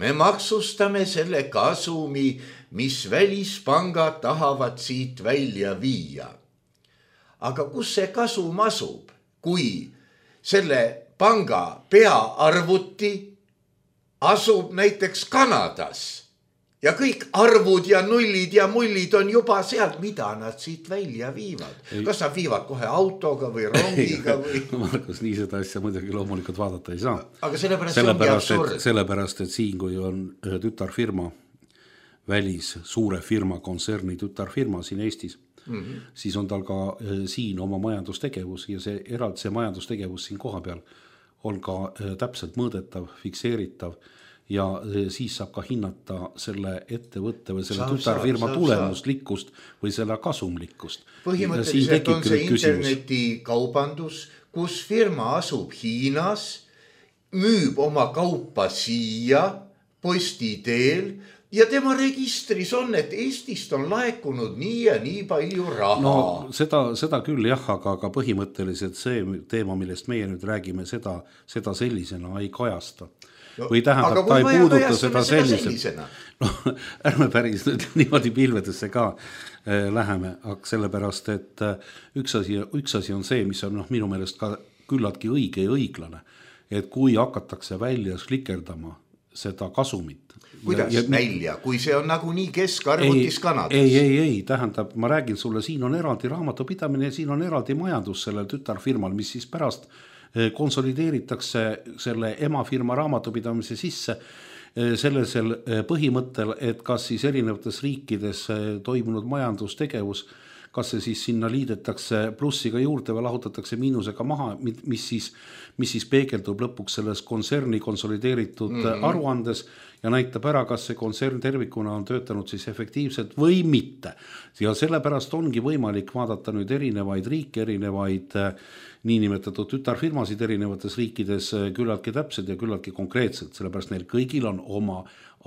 me maksustame selle kasumi, mis välispangad tahavad siit välja viia. Aga kus see kasum asub, kui selle panga peaarvuti asub näiteks Kanadas ja kõik arvud ja nullid ja mullid on juba sealt, mida nad siit välja viivad? Ei. Kas nad viivad kohe autoga või rongiga? Või... Markus, nii seda asja muidugi loomulikult vaadata ei saa. Aga sellepärast, sellepärast, et, sellepärast et siin, kui on tütarfirma, välis suure firma, kontserni tütarfirma siin Eestis, mm-hmm. siis on tal ka siin oma majandustegevus ja see eraldi see majandustegevus siin koha peal on ka täpselt mõõdetav, fikseeritav ja siis saab ka hinnata selle ettevõtte või selle saab, tütarfirma saab, tulemuslikkust saab. Või selle kasumlikkust. Põhimõtteliselt on see internetikaubandus, kus firma asub Hiinas, müüb oma kaupa siia posti teel ja tema registris on, et Eestist on laekunud nii ja nii palju raha. No seda, seda küll jah, aga, aga põhimõtteliselt see teema, millest meie nüüd räägime, seda, seda sellisena ei kajasta. No, või tähendab, ta ei puuduta seda sellisena. No, ärme päris nüüd niimoodi pilvedesse ka äh, läheme, aga sellepärast, et äh, üks, asi, üks asi on see, mis on noh, minu meelest ka küllaltki õige ja õiglane, et kui hakatakse välja slikerdama seda kasumit. Kuidas ja, välja, kui see on nagu nii keskarvutis Kanadas? Ei, ei, ei, tähendab, ma räägin sulle, siin on eraldi raamatupidamine ja siin on eraldi majandus sellel tütarfirmal, mis siis pärast konsolideeritakse selle emafirma raamatupidamise sisse sellisel põhimõttel, et kas siis erinevates riikides toimunud majandustegevus, kas see siis sinna liidetakse plussiga juurde või lahutatakse miinusega maha, mis siis, mis siis peegeldub lõpuks selles kontserni konsolideeritud mm-hmm. aruandes ja näitab ära, kas see kontsern tervikuna on töötanud siis efektiivselt või mitte. Ja sellepärast ongi võimalik vaadata nüüd erinevaid riike, erinevaid niinimetatud tütarfirmasid erinevates riikides küllaltki täpselt ja küllaltki konkreetselt, sellepärast neil kõigil on oma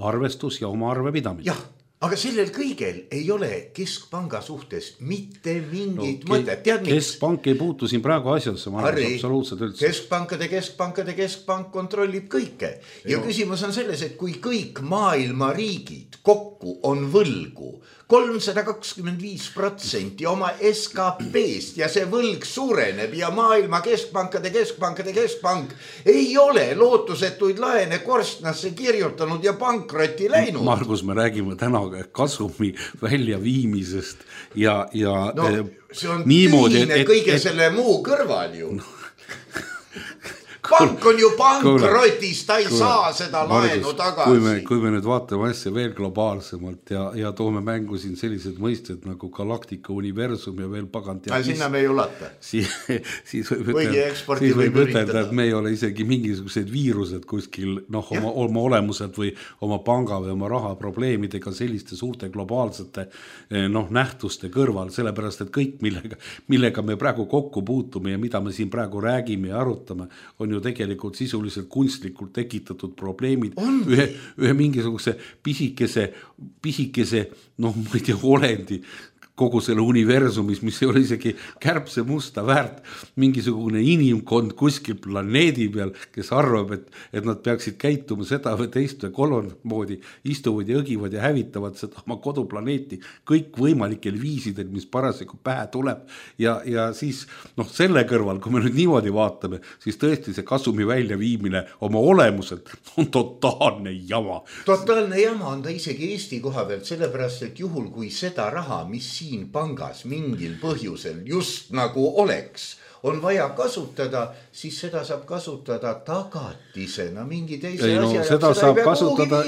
arvestus ja oma arvepidamine. Jah, aga sellel kõigel ei ole keskpanga suhtes mitte mingit no, mõtet. Tead, keskpank ei puutu siin praegu asjasse, ma arvan, absoluutselt üldse. Keskpankade, keskpankade, keskpank kontrollib kõike. Ja no. Küsimus on selles, et kui kõik maailma riigid kokku on võlgu kolmsada kakskümmend viis protsenti oma S K P-st ja see võlg suureneb ja maailma keskpankade, keskpankade, keskpank ei ole lootusetuid laene korstnasse kirjutanud ja pankrotti läinud. Margus, me räägime täna kasumi väljaviimisest ja, ja no, see on niimoodi, tühine et, kõige et, selle muu kõrval ju. pank on ju pankrotis, ta ei kuule, saa seda laenu tagasi. Kui me, kui me nüüd vaatame asja veel globaalsemalt ja, ja toome mängu siin sellised mõisted nagu galaktika, universum ja veel pagant. Ja sinna me ei ulata. Siis, siis võib ütelda, siis võib ütelda, et me ei ole isegi mingisugused viirused kuskil noh, oma, oma olemuselt või oma panga või oma raha probleemidega selliste suurte globaalsete noh, nähtuste kõrval, sellepärast, et kõik, millega, millega me praegu kokku puutume ja mida me siin praegu räägime ja arutame, on ju tegelikult sisuliselt kunstlikult tekitatud probleemid ühe, ühe mingisuguse pisikese, pisikese, noh, ma ei tea, olendi kogu selle universumis, mis ei ole isegi kärbse musta väärt, mingisugune inimkond kuskil planeedi peal, kes arvab, et, et nad peaksid käituma seda või teist või kolmandat moodi, istuvad ja õgivad ja hävitavad seda oma koduplaneeti kõik võimalikel viisidel, mis parasjagu pähe tuleb. Ja, ja siis noh, selle kõrval, kui me nüüd niimoodi vaatame, siis tõesti see kasumi väljaviimine oma olemuselt on totaalne jama. Totaalne jama on ta isegi Eesti koha pealt, sellepärast, et juhul kui seda raha, mis siin pangas mingil põhjusel just nagu oleks, on vaja kasutada, siis seda saab kasutada tagatisena mingi teise ei, no, asja. Seda seda saab kasutada.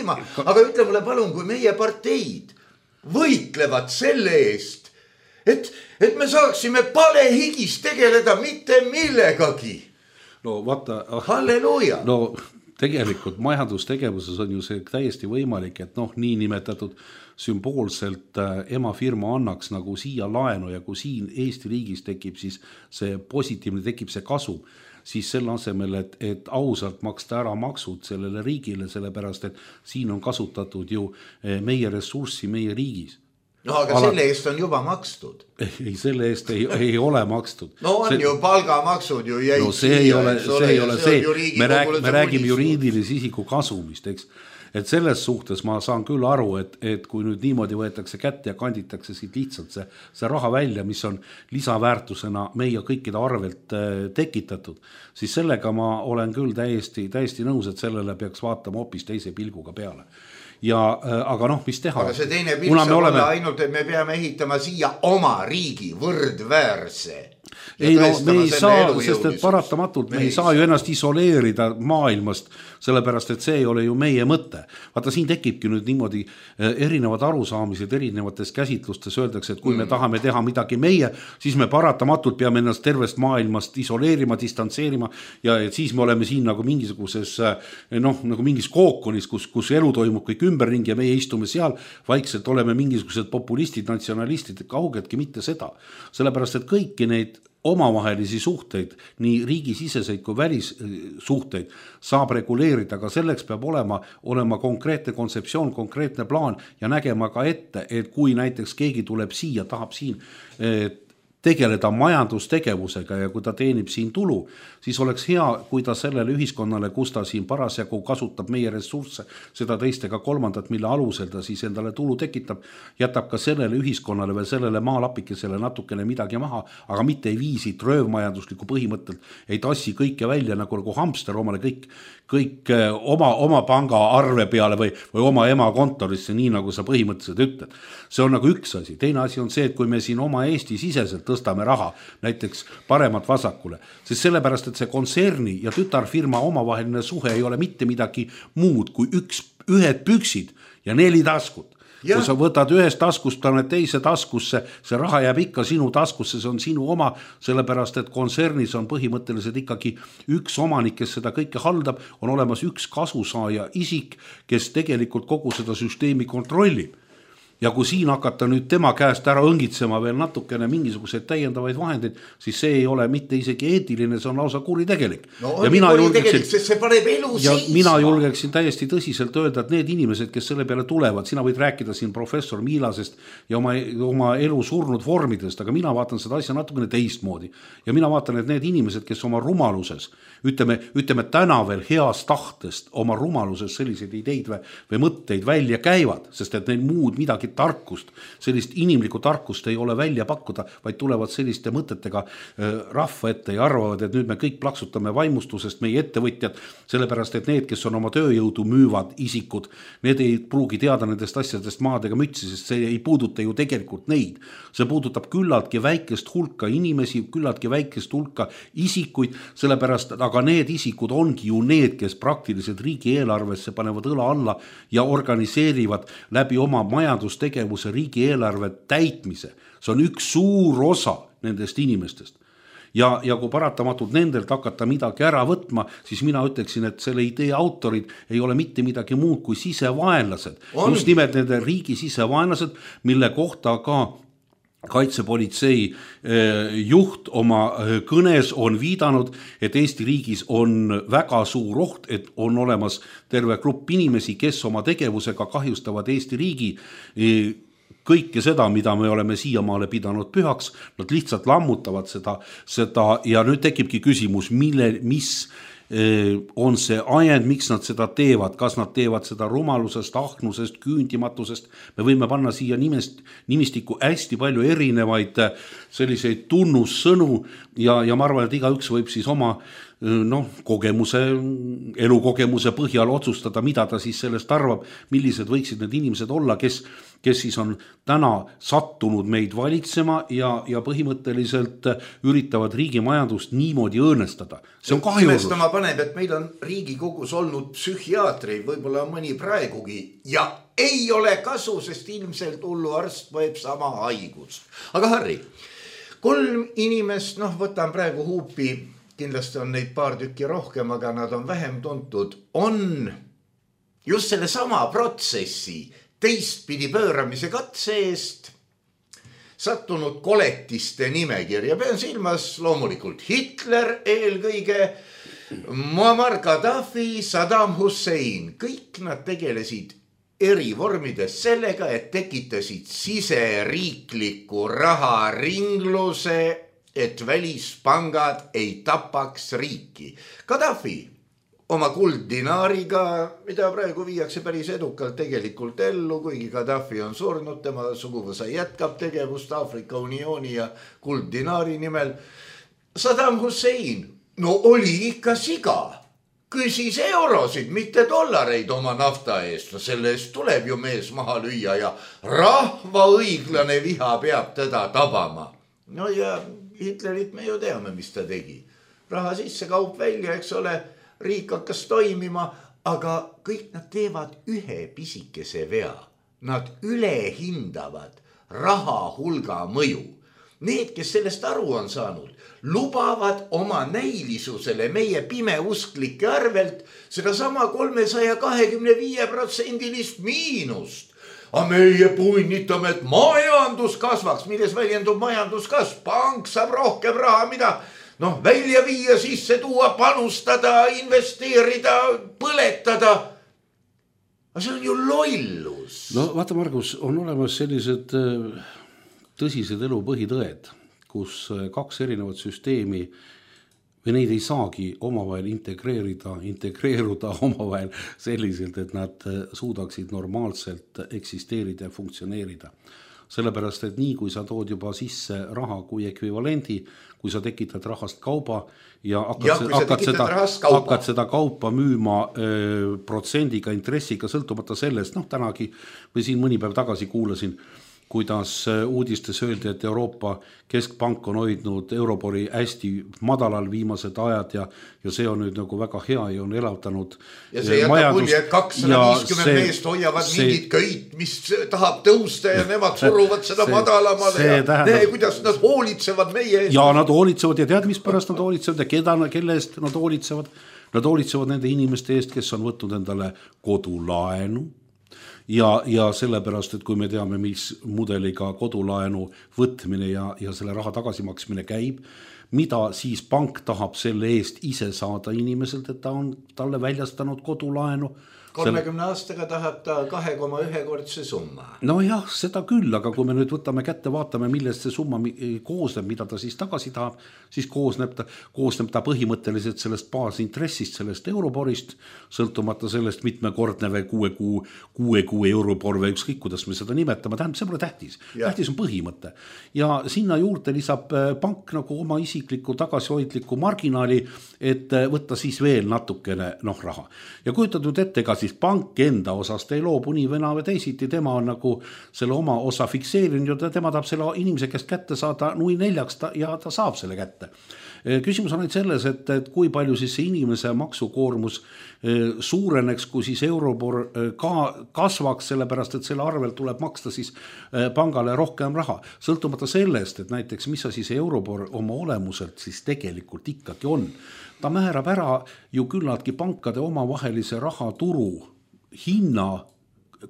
Aga ütle mulle palun, kui meie parteid võitlevad selle eest, et, et me saaksime palehigis tegeleda mitte millegagi. No vaata. Halleluuja. No tegelikult majandustegevuses on ju see täiesti võimalik, et noh, nii nimetatud sümboolselt emafirma annaks nagu siia laenu ja kui siin Eesti riigis tekib siis see positiivne, tekib see kasum, siis selle asemel, et, et ausalt maksta ära maksud sellele riigile, sellepärast, et siin on kasutatud ju meie ressurssi meie riigis. No aga Ala... selle eest on juba makstud. Ei, selle eest ei, ei ole makstud. No on see... ju palgamaksud ju jäid. No see ei ole, see ei ole see, me, rääg, me räägime juriidilise isiku kasumist, eks. Et selles suhtes ma saan küll aru, et, et kui nüüd niimoodi võetakse kätte ja kanditakse siit lihtsalt see, see raha välja, mis on lisaväärtusena meie kõikide arvelt tekitatud, siis sellega ma olen küll täiesti, täiesti nõus, et sellele peaks vaatama hoopis teise pilguga peale. Ja, aga noh, mis teha? Aga see teine pilg saab oleme... olla ainult, et me peame ehitama siia oma riigi võrdväärse. Ei no me ei saa, sest et paratamatult me, me ei saa ju ennast isoleerida maailmast, sellepärast et see ei ole ju meie mõte. Vaata, siin tekibki nüüd niimoodi erinevad arusaamised erinevates käsitlustes, öeldakse, et kui mm. me tahame teha midagi meie, siis me paratamatult peame ennast tervest maailmast isoleerima, distantseerima ja et siis me oleme siin nagu mingisuguses noh, nagu mingis kookonis, kus, kus elu toimub kõik ümberringi ja meie istume seal, vaikselt oleme mingisugused populistid, natsionalistid, kaugetki mitte seda. Sellepärast, et kõiki neid omavahelisi suhteid, nii riigisiseseid kui välissuhteid saab reguleerida, aga selleks peab olema, olema konkreetne kontseptsioon, konkreetne plaan ja nägema ka ette, et kui näiteks keegi tuleb siia, tahab siin et tegeleda majandustegevusega ja kui ta teenib siin tulu, siis oleks hea, kui ta sellele ühiskonnale, kus ta siin parasjagu kasutab meie ressursse, seda teist ega kolmandat, mille alusel ta siis endale tulu tekitab, jätab ka sellele ühiskonnale või sellele maalapikesele natukene midagi maha, aga mitte ei viisi röövmajandusliku põhimõttelt, ei tassi kõike välja nagu, nagu hamster omale kõik, kõik oma, oma panga arve peale või, või oma ema kontorisse, nii nagu sa põhimõtteliselt ütled. See on nagu üks asi. Teine asi on see, et kui me siin oma Eesti siseselt tõstame raha, näiteks paremat vasakule, siis sellepärast, et see kontserni ja tütarfirma omavaheline suhe ei ole mitte midagi muud kui üks, ühed püksid ja neli taskut. Ja. Kui sa võtad ühest taskust, paned teise taskusse, see raha jääb ikka sinu taskusse, see on sinu oma, sellepärast, et kontsernis on põhimõtteliselt ikkagi üks omanik, kes seda kõike haldab, on olemas üks kasusaaja isik, kes tegelikult kogu seda süsteemi kontrollib. Ja kui siin hakata nüüd tema käest ära õngitsema veel natukene mingisuguseid täiendavaid vahendeid, siis see ei ole mitte isegi eetiline, see on lausa kuritegelik. No on ja kuritegelik, sest see paneb elu ja seisma. Mina julgeksin täiesti tõsiselt öelda, et need inimesed, kes selle peale tulevad, sina võid rääkida siin professor Miilasest ja oma, oma elu surnud vormidest, aga mina vaatan seda asja natukene teistmoodi. Ja mina vaatan, et need inimesed, kes oma rumaluses, ütleme, ütleme täna veel heast tahtest oma rumaluses selliseid ideid või, või mõtteid välja käivad, sest et neil muud midagi midagi tarkust, sellist inimlikku tarkust ei ole välja pakkuda, vaid tulevad selliste mõtetega rahva ette ja arvavad, et nüüd me kõik plaksutame vaimustusest meie ettevõtjad, sellepärast et need, kes on oma tööjõudu müüvad isikud, need ei pruugi teada nendest asjadest maadega mütsi, sest see ei puuduta ju tegelikult neid. See puudutab küllaltki väikest hulka inimesi, küllaltki väikest hulka isikuid, sellepärast, aga need isikud ongi ju need, kes praktiliselt riigieelarvesse panevad õla alla ja organiseerivad läbi oma majandustegevuse riigieelarve täitmise. See on üks suur osa nendest inimestest. Ja, ja kui paratamatult nendelt hakata midagi ära võtma, siis mina ütleksin, et selle idee autorid ei ole mitte midagi muud kui sisevaenlased. On. Just nimelt nende riigi sisevaenlased, mille kohta ka kaitsepolitsei juht oma kõnes on viidanud, et Eesti riigis on väga suur oht, et on olemas terve grupp inimesi, kes oma tegevusega kahjustavad Eesti riigi kõike seda, mida me oleme siiamaale pidanud pühaks, nad lihtsalt lammutavad seda, seda ja nüüd tekibki küsimus, mille, mis on see ajend, miks nad seda teevad, kas nad teevad seda rumalusest, ahnusest, küündimatusest, me võime panna siia nimest, nimistiku hästi palju erinevaid selliseid tunnussõnu ja, ja ma arvan, et igaüks võib siis oma noh, kogemuse, elukogemuse põhjal otsustada, mida ta siis sellest arvab, millised võiksid need inimesed olla, kes, kes siis on täna sattunud meid valitsema ja, ja põhimõtteliselt üritavad riigi majandust niimoodi õõnestada. See on kahjurus. Imestama paneb, et meil on Riigikogus olnud psühhiaatri, võib-olla mõni praegugi, ja ei ole kasu, sest ilmselt hullu arst võeb sama haigust. Aga Harri, kolm inimest, noh, võtan praegu huupi, kindlasti on neid paar tükki rohkem, aga nad on vähem tuntud, on just selle sama protsessi teistpidi pööramise katse eest sattunud koletiste nimekirja. Pean silmas loomulikult Hitler eelkõige, Muammar Gaddafi, Saddam Hussein. Kõik nad tegelesid eri vormides sellega, et tekitasid siseriikliku raharingluse, et välispangad ei tapaks riiki. Gaddafi oma kulddinaariga, mida praegu viiakse päris edukalt tegelikult ellu, kuigi Gaddafi on surnud, tema suguvõsa jätkab tegevust Aafrika Uniooni ja kulddinaari nimel. Saddam Hussein, no oli ikka siga, küsis eurosid, mitte dollareid oma nafta eest, no selle eest tuleb ju mees maha lüüa ja rahva õiglane viha peab teda tabama. No ja Hitlerit me ju teame, mis ta tegi. Raha sisse, kaup välja, eks ole, riik hakkas toimima, aga kõik nad teevad ühe pisikese vea. Nad ülehindavad raha hulga mõju. Need, kes sellest aru on saanud, lubavad oma näilisusele meie pimeusklike arvelt seda sama kolmesaja kahekümne viie protsendilist miinust. A meie punnitame, et majandus kasvaks, milles väljendub majanduskasv. Pank saab rohkem raha, mida noh, välja viia, sisse tuua, panustada, investeerida, põletada. Aga see on ju lollus. No vaata, Margus, on olemas sellised tõsised elu põhitõed, kus kaks erinevat süsteemi või neid ei saagi omavahel integreerida, integreeruda omavahel selliselt, et nad suudaksid normaalselt eksisteerida ja funktsioneerida. Sellepärast, et nii kui sa tood juba sisse raha kui ekvivalendi, kui sa tekitad rahast kauba ja hakkad, ja, seda, hakkad, seda, kaupa. hakkad seda kaupa müüma öö, protsendiga, intressiga, sõltumata sellest, noh tänagi või siin mõni päev tagasi kuulasin, kuidas uudistes öeldi, et Euroopa Keskpank on hoidnud Eurobori hästi madalal viimased ajad ja, ja see on nüüd nagu väga hea ja on elavtanud ja see jätab mulje, et kakssada viiskümmend meest hoiavad see, mingit köit, mis tahab tõusta ja nemad suruvad seda see, madalamale ja tähendab, nee, kuidas nad hoolitsevad meie eest. Ja nad hoolitsevad ja tead, mis pärast nad hoolitsevad ja keda, kelle eest nad hoolitsevad? Nad hoolitsevad nende inimeste eest, kes on võtnud endale kodulaenu. Ja, ja sellepärast, et kui me teame, mis mudeliga kodulaenu võtmine ja, ja selle raha tagasimaksmine käib, mida siis pank tahab selle eest ise saada inimeselt, et ta on talle väljastanud kodulaenu. kolmekümne aastaga tahab ta kahe koma ühe kordse summa. No jah, seda küll, aga kui me nüüd võtame kätte, vaatame, millest see summa koosneb, mida ta siis tagasi tahab, siis koosneb ta, koosneb ta põhimõtteliselt sellest baasintressist, sellest Euroborist, sõltumata sellest mitmekordne või kuue kuu, kuue kuu Eurobor või ükskõik, kuidas me seda nimetame, tähendab, see pole tähtis. Ja. Tähtis on põhimõte. Ja sinna juurde lisab pank nagu oma isikliku tagasihoidliku marginaali, et võtta siis veel natukene noh, raha. Ja kujutad nüüd ette ka siis pank enda osast ei loobu nii vena või teisiti, tema on nagu selle oma osa fikseerinud ja tema tahab selle inimese käest kätte saada nui neljaks ta, ja ta saab selle kätte. Küsimus on ainult selles, et, et kui palju siis see inimese maksukoormus suureneks, kui siis Eurobor ka kasvaks, sellepärast et selle arvel tuleb maksta siis pangale rohkem raha. Sõltumata sellest, et näiteks mis sa siis Eurobor oma olemuselt siis tegelikult ikkagi on. Ta määrab ära ju küllaltki pankade omavahelise rahaturu hinna,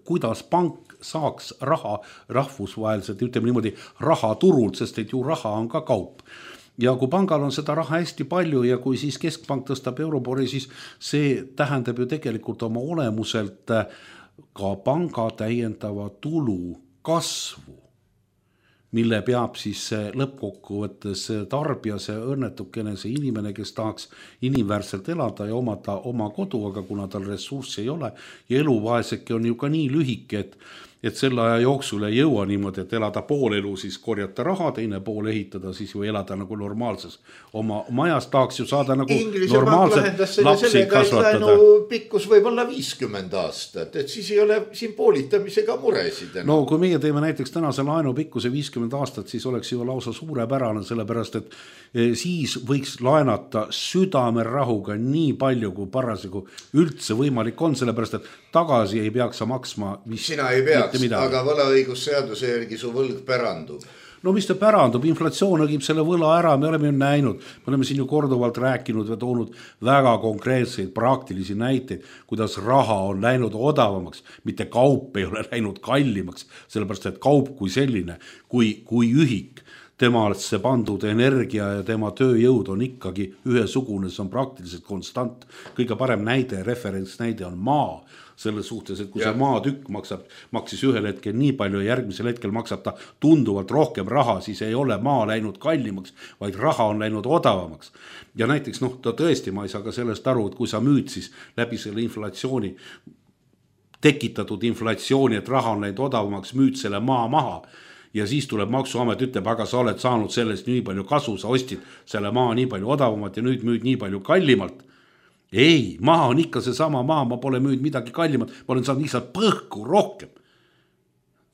kuidas pank saaks raha rahvusvaheliselt, ütleme niimoodi rahaturult, sest et ju raha on ka kaup. Ja kui pangal on seda raha hästi palju ja kui siis keskpank tõstab Eurobori, siis see tähendab ju tegelikult oma olemuselt ka panga täiendava tulu kasvu, mille peab siis lõppkokkuvõttes tarbija, see õnnetukene, see inimene, kes tahaks inimväärselt elada ja omada oma kodu, aga kuna tal ressurssi ei ole ja eluvaeseke on ju ka nii lühike, et et selle aja jooksul ei jõua niimoodi, et elada pool elu, siis korjata raha, teine pool ehitada, siis ju elada nagu normaalses oma majas, tahaks ju saada nagu Inglise normaalselt lapsi sellega, kasvatada. Pikkus võib olla viiskümmend aastat, et siis ei ole siin poolitamisega muresid. No kui meie teeme näiteks tänase laenu pikkuse viiskümmend aastat, siis oleks ju lausa suurepärane, sellepärast et siis võiks laenata südamerahuga nii palju, kui parasjagu üldse võimalik on, sellepärast et tagasi ei peaks maksma vist, sina ei peaks, aga võlaõigusseaduse järgi su võlg pärandub. No mis ta pärandub, inflatsioon õgib selle võla ära, me oleme ju näinud, me oleme siin ju korduvalt rääkinud ja toonud väga konkreetseid praktilisi näiteid, kuidas raha on läinud odavamaks, mitte kaup ei ole läinud kallimaks, sellepärast et kaup kui selline, kui, kui ühik, temasse pandud energia ja tema tööjõud on ikkagi ühesugune, see on praktiliselt konstant. Kõige parem näide, referentsnäide on maa, selles suhtes, et kui ja. see maatükk maksab, maksis ühel hetkel nii palju ja järgmisel hetkel maksab ta tunduvalt rohkem raha, siis ei ole maa läinud kallimaks, vaid raha on läinud odavamaks. Ja näiteks, noh, ta tõesti, ma ei saa ka sellest aru, et kui sa müüd siis läbi selle inflatsiooni, tekitatud inflatsiooni, et raha on läinud odavamaks, müüd selle maa maha, ja siis tuleb maksuamet, ütleb, aga sa oled saanud sellest nii palju kasu, sa ostid selle maa nii palju odavamat ja nüüd müüd nii palju kallimalt. Ei, maa on ikka see sama maa, ma pole müüd midagi kallimat, ma olen saanud lihtsalt põhku rohkem.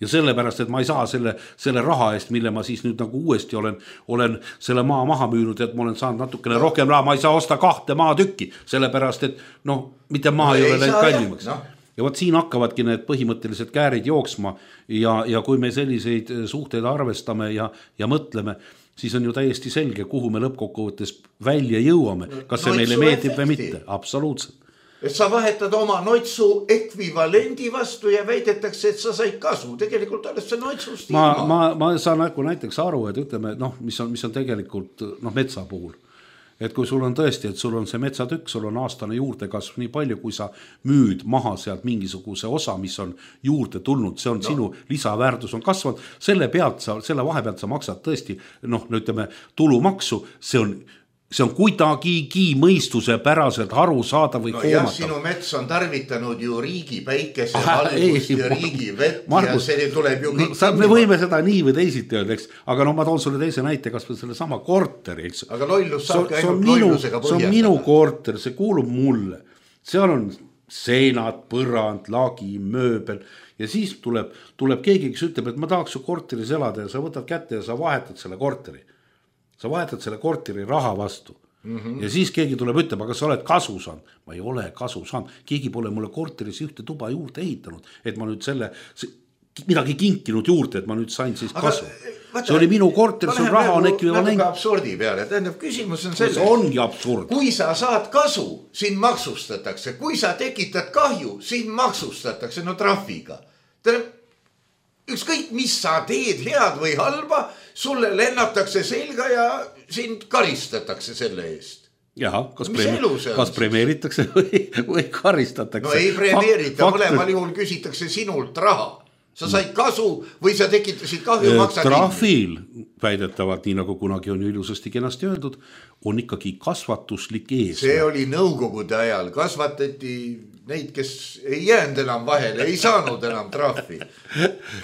Ja sellepärast, et ma ei saa selle, selle raha eest, mille ma siis nüüd nagu uuesti olen, olen selle maa maha müünud, et ma olen saanud natukene rohkem raha, ma ei saa osta kahte maatükki, sellepärast, et noh, mitte maa no, ei ole läinud kallimaks. No. Ja võt siin hakkavadki need põhimõttelised käärid jooksma ja, ja kui me selliseid suhteid arvestame ja, ja mõtleme, siis on ju täiesti selge, kuhu me lõppkokkuvõttes välja jõuame. Kas see meile meeldib või mitte? Absoluutselt. Et sa vahetad oma noitsu ekvivalendi vastu ja väidetakse, et sa said kasu. Tegelikult oled see noitsust ma, ilma. Ma, ma saan näiteks aru, et ütleme, noh, mis on, mis on tegelikult noh, metsa puhul. Et kui sul on tõesti, et sul on see metsatükk, sul on aastane juurdekasv nii palju, kui sa müüd maha sealt mingisuguse osa, mis on juurde tulnud, see on no. sinu lisaväärtus on kasvanud, selle pealt sa, selle vahe pealt sa maksad tõesti, noh, ütleme, tulumaksu, see on, see on kuidagigi mõistuse päraselt aru saada või no, koomata. Jah, sinu mets on tarvitanud ju riigi päikese valgust ja riigi vett Margus, ja see tuleb ju kõik. No, me võime seda nii või teisiti öelda, eks, aga no ma toon sulle teise näite, kas või selle sama korteri, eks. Aga lollus saabki ainult lollusega põhjendada. See on minu korter, see kuulub mulle. Seal on seenad, põrand, lagi, mööbel ja siis tuleb, tuleb keegi, kes ütleb, et ma tahaks su korteris elada ja sa võtad kätte ja sa vahetad selle korteri. Sa vahetad selle korteri raha vastu mm -hmm. ja siis keegi tuleb ütleb, aga sa oled kasu saanud. Ma ei ole kasu saanud, keegi pole mulle korteris ühte tuba juurde ehitanud, et ma nüüd selle midagi kinkinud juurde, et ma nüüd sain siis kasu. Vaata, see oli minu korter, see raha on ekvivalent. Natuke absurdi peale, tähendab küsimus on selles. See ongi absurd. Kui sa saad kasu, siin maksustatakse, kui sa tekitad kahju, siin maksustatakse, no trahviga. Tähendab, ükskõik mis sa teed, head või halba, sulle lennatakse selga ja sind karistatakse selle eest. Jaha, kas, preemi- kas premeeritakse või, või karistatakse? No ei premeerita, mõlemal juhul küsitakse sinult raha. Sa said kasu või sa tekitasid kahju, maksad trahvil väidetavalt, nii nagu kunagi on ilusasti kenasti öeldud, on ikkagi kasvatuslik eesmärk. See oli nõukogude ajal, kasvatati neid, kes ei jäänud enam vahele, ei saanud enam trahvi.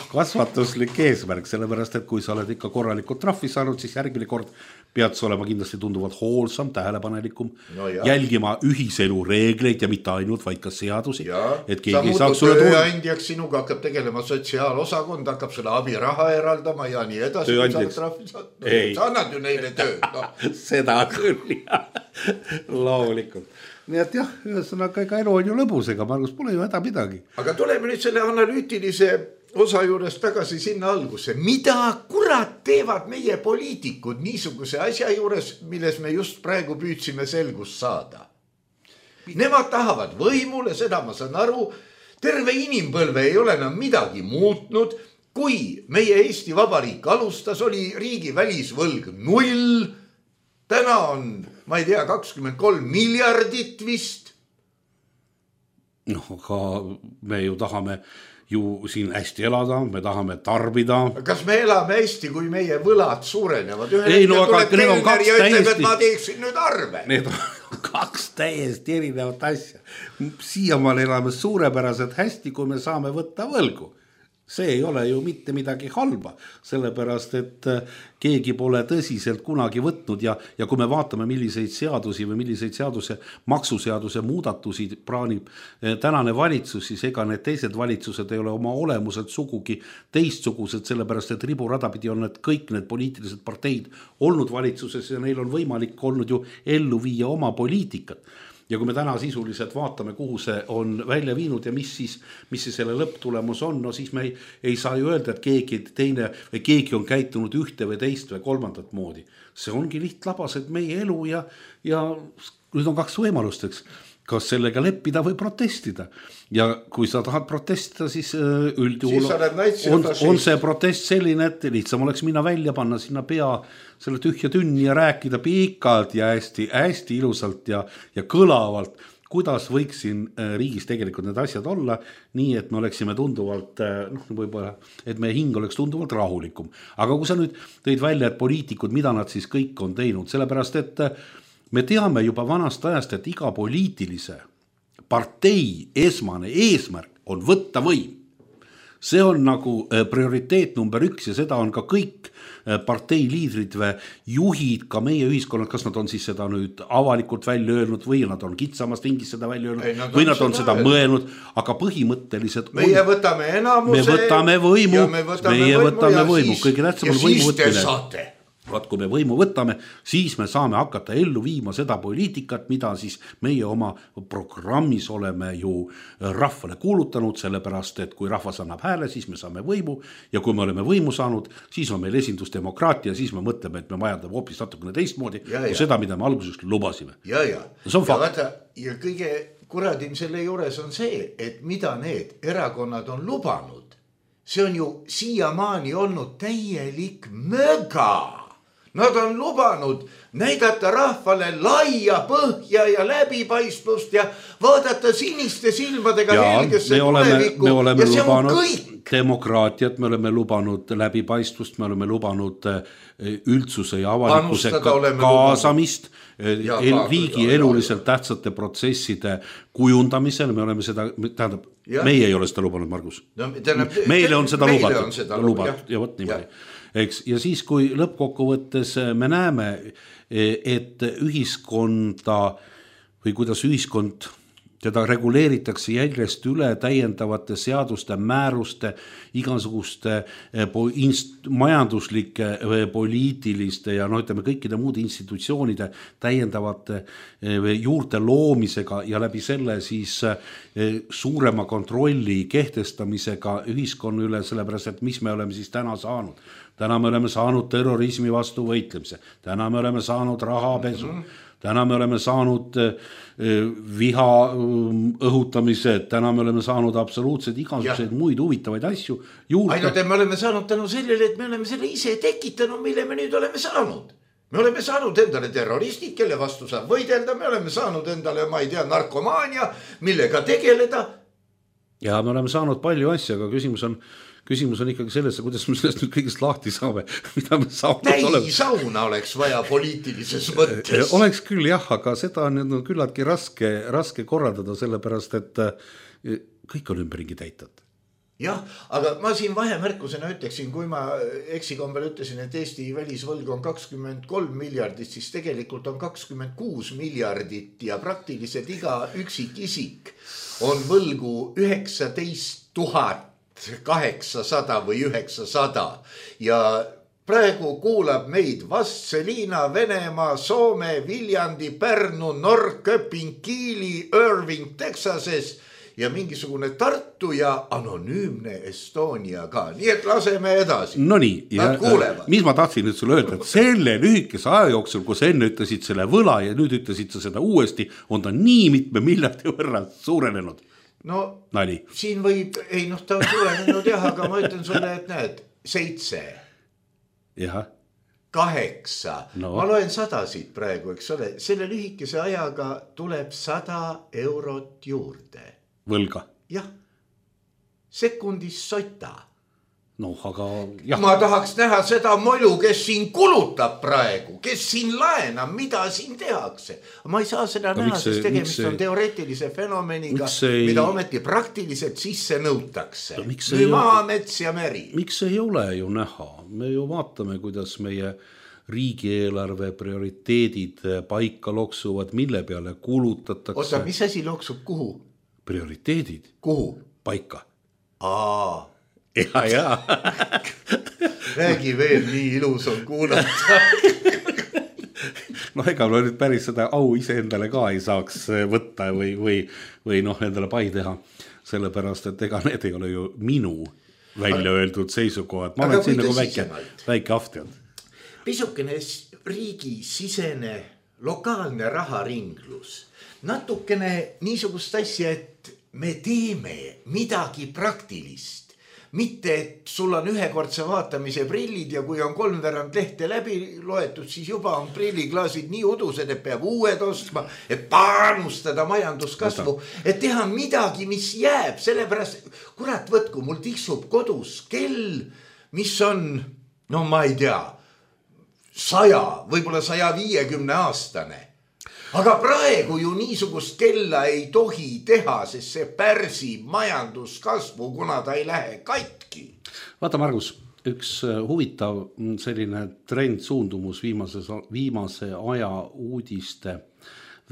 Kasvatuslik eesmärk, sellepärast, et kui sa oled ikka korralikult trahvi saanud, siis järgmine kord pead sa olema kindlasti tunduvalt hoolsam, tähelepanelikum, no jälgima ühiselu reegleid ja mitte ainult, vaid ka seadusi. Et sa muutud tööandjaks, sinuga hakkab tegelema sotsiaalosakond, hakkab selle abiraha eraldama ja nii edasi. Tööandjaks? No, sa annad ju neile tööd. No. Seda küll, jah. Loomulikult. Nii et jah, ühesõnaga ega elu on ju lõbus, ega Margus pole ju häda midagi. Aga tuleme nüüd selle analüütilise osa juures tagasi sinna algusse. Mida kurat teevad meie poliitikud niisuguse asja juures, milles me just praegu püüdsime selgust saada? Nemad tahavad võimule, seda ma saan aru. Terve inimpõlve ei ole enam midagi muutnud. Kui meie Eesti Vabariik alustas, oli riigi välisvõlg null. Täna on, ma ei tea, kakskümmend kolm miljardit vist. No, aga me ju tahame ju siin hästi elada, me tahame tarbida. Kas me elame hästi, kui meie võlad suurenevad? Ühel ei, no aga need on kaks ja ütleb, täiesti... et ma teeksin nüüd arve. Need on kaks täiesti erinevat asja. Siiamaal elame suurepäraselt hästi, kui me saame võtta võlgu. See ei ole ju mitte midagi halba, sellepärast, et keegi pole tõsiselt kunagi võtnud ja, ja kui me vaatame, milliseid seadusi või milliseid seaduse, maksuseaduse muudatusi praanib tänane valitsus, siis ega need teised valitsused ei ole oma olemuselt sugugi teistsugused, sellepärast, et riburadapidi on need kõik need poliitilised parteid olnud valitsuses ja neil on võimalik olnud ju ellu viia oma poliitikat. Ja kui me täna sisuliselt vaatame, kuhu see on välja viinud ja mis siis, mis siis selle lõpptulemus on, no siis me ei, ei saa ju öelda, et keegi teine või keegi on käitunud ühte või teist või kolmandat moodi. See ongi lihtlabased meie elu ja, ja nüüd on kaks võimalust, eks. Kas sellega leppida või protestida. Ja kui sa tahad protestida, siis üldjuhul on, on see protest selline, et lihtsam oleks minna välja, panna sinna pea selle tühja tünni ja rääkida pikalt ja hästi, hästi ilusalt ja, ja kõlavalt, kuidas võiks siin riigis tegelikult need asjad olla, nii et me oleksime tunduvalt, noh, võib-olla, et meie hing oleks tunduvalt rahulikum. Aga kui sa nüüd tõid välja, et poliitikud, mida nad siis kõik on teinud, sellepärast, et me teame juba vanast ajast, et iga poliitilise partei esmane eesmärk on võtta võim. See on nagu prioriteet number üks ja seda on ka kõik partei liidrid või juhid, ka meie ühiskonnad, kas nad on siis seda nüüd avalikult välja öelnud või nad on kitsamast ringis seda välja öelnud Ei, nad või nad on seda öelnud. mõelnud, aga põhimõtteliselt meie on, võtame enamuse me võtame võimu, me võtame meie võimu, võtame võimu, kõige tähtsam on võimu võtmine. Vaat kui me võimu võtame, siis me saame hakata ellu viima seda poliitikat, mida siis meie oma programmis oleme ju rahvale kuulutanud, sellepärast, et kui rahvas annab hääle, siis me saame võimu ja kui me oleme võimu saanud, siis on meil esindusdemokraatia, siis me mõtleme, et me vajadame hoopis natukene teistmoodi kui seda, mida me alguses lubasime. Ja, ja. See on fakt. Ja, vaata, ja kõige kuradim selle juures on see, et mida need erakonnad on lubanud, see on ju siiamaani olnud täielik möga. Nad on lubanud näidata rahvale laia põhja ja läbipaistvust ja vaadata siniste silmadega ja, helgesse tulevikku. Me oleme lubanud demokraatiat, me oleme lubanud läbipaistvust, me oleme lubanud üldsuse ja avalikkuse kaasamist, ja, el, riigi ja, eluliselt ja, tähtsate protsesside kujundamisel, me oleme seda, tähendab, ja. meie ei ole seda lubanud, Margus. No, tähendab, meile on seda lubatud, on seda lubatud ja, ja võt niimoodi. Eks, ja siis, kui lõppkokkuvõttes me näeme, et ühiskonda või kuidas ühiskond teda reguleeritakse järjest üle täiendavate seaduste, määruste, igasuguste inst- majanduslike, poliitiliste ja no ütleme kõikide muude institutsioonide täiendavate juurte loomisega ja läbi selle siis suurema kontrolli kehtestamisega ühiskonna üle, sellepärast et mis me oleme siis täna saanud. Täna me oleme saanud terrorismi vastu võitlemise, täna me oleme saanud rahapesu, täna me oleme saanud viha õhutamise, täna me oleme saanud absoluutselt igasuguseid muid huvitavaid asju juurde. Ainult, et me oleme saanud tänu sellele, et me oleme selle ise tekitanud, mille me nüüd oleme saanud. me oleme saanud endale terroristid, kelle vastu saab võidelda, me oleme saanud endale, ma ei tea, narkomaania, millega tegeleda. Ja me oleme saanud palju asja, aga küsimus on, küsimus on ikkagi selles, kuidas me sellest nüüd kõigest lahti saame, mida me saanud oleme. Täi sauna oleks vaja poliitilises mõttes. Oleks küll jah, aga seda on nüüd küllaltki raske, raske korraldada, sellepärast, et kõik on ümberringi täitat. Jah, aga ma siin vahemärkusena ütleksin, kui ma eksikombel ütlesin, et Eesti välisvõlg on kakskümmend kolm miljardit, siis tegelikult on kakskümmend kuus miljardit ja praktiliselt iga üksik isik on võlgu üheksateist tuhat kaheksasada või üheksasada ja praegu kuulab meid Vastseliina, Venemaa, Soome, Viljandi, Pärnu, Norrköping, Kiili, Irving, Texases ja mingisugune Tartu ja anonüümne Estonia ka. Nii et laseme edasi. No nii, ja, mis ma tahtsin nüüd sulle öelda, et selle lühikese aja jooksul, kui sa enne ütlesid selle võla ja nüüd ütlesid sa seda uuesti, on ta nii mitme miljardi võrra suurenenud. No Nali. Siin võib, ei noh, ta on suurenenud jah, aga ma ütlen sulle, et näed, seitse, jah. kaheksa, no. Ma loen sadasid praegu, eks ole, selle lühikese ajaga tuleb sada eurot juurde. Võlga. Jah, sekundis sota. No, aga jah. Ma tahaks näha seda molu, kes siin kulutab praegu, kes siin laenab, mida siin tehakse. Ma ei saa seda aga näha, sest tegemist on teoreetilise fenomeniga, ei... mida ometi praktiliselt sisse nõutakse. No, või maa, mets ja meri. Miks ei ole ju näha? Me ju vaatame, kuidas meie riigieelarve prioriteedid paika loksuvad, mille peale kulutatakse. Oota, mis asi loksub kuhu? Prioriteedid. Kuhu? Paika. Aa. Ja, ja. Räägi veel, nii ilus on kuulata. No ega ma nüüd päris seda au ise endale ka ei saaks võtta või, või, või noh, endale pai teha. Sellepärast, et ega need ei ole ju minu välja öeldud seisukohad. Ma olen siin nagu väike, väike aftjad. Pisukene riigi sisene lokaalne raharinglus. Natukene niisugust asja, et me teeme midagi praktilist. Mitte, et sul on ühekordse vaatamise prillid ja kui on kolmveerand lehte läbi loetud, siis juba on prilliklaasid nii udused, et peab uued ostma, et panustada majanduskasvu, et teha midagi, mis jääb. Sellepärast, kurat võtku, mul tiksub kodus kell, mis on, no ma ei tea, saja, võib-olla saja viiekümne aastane. Aga praegu ju niisugust kella ei tohi teha, sest see pärsib majanduskasvu, kuna ta ei lähe katki. Vaata, Margus, üks huvitav selline trend suundumus viimase, viimase aja uudiste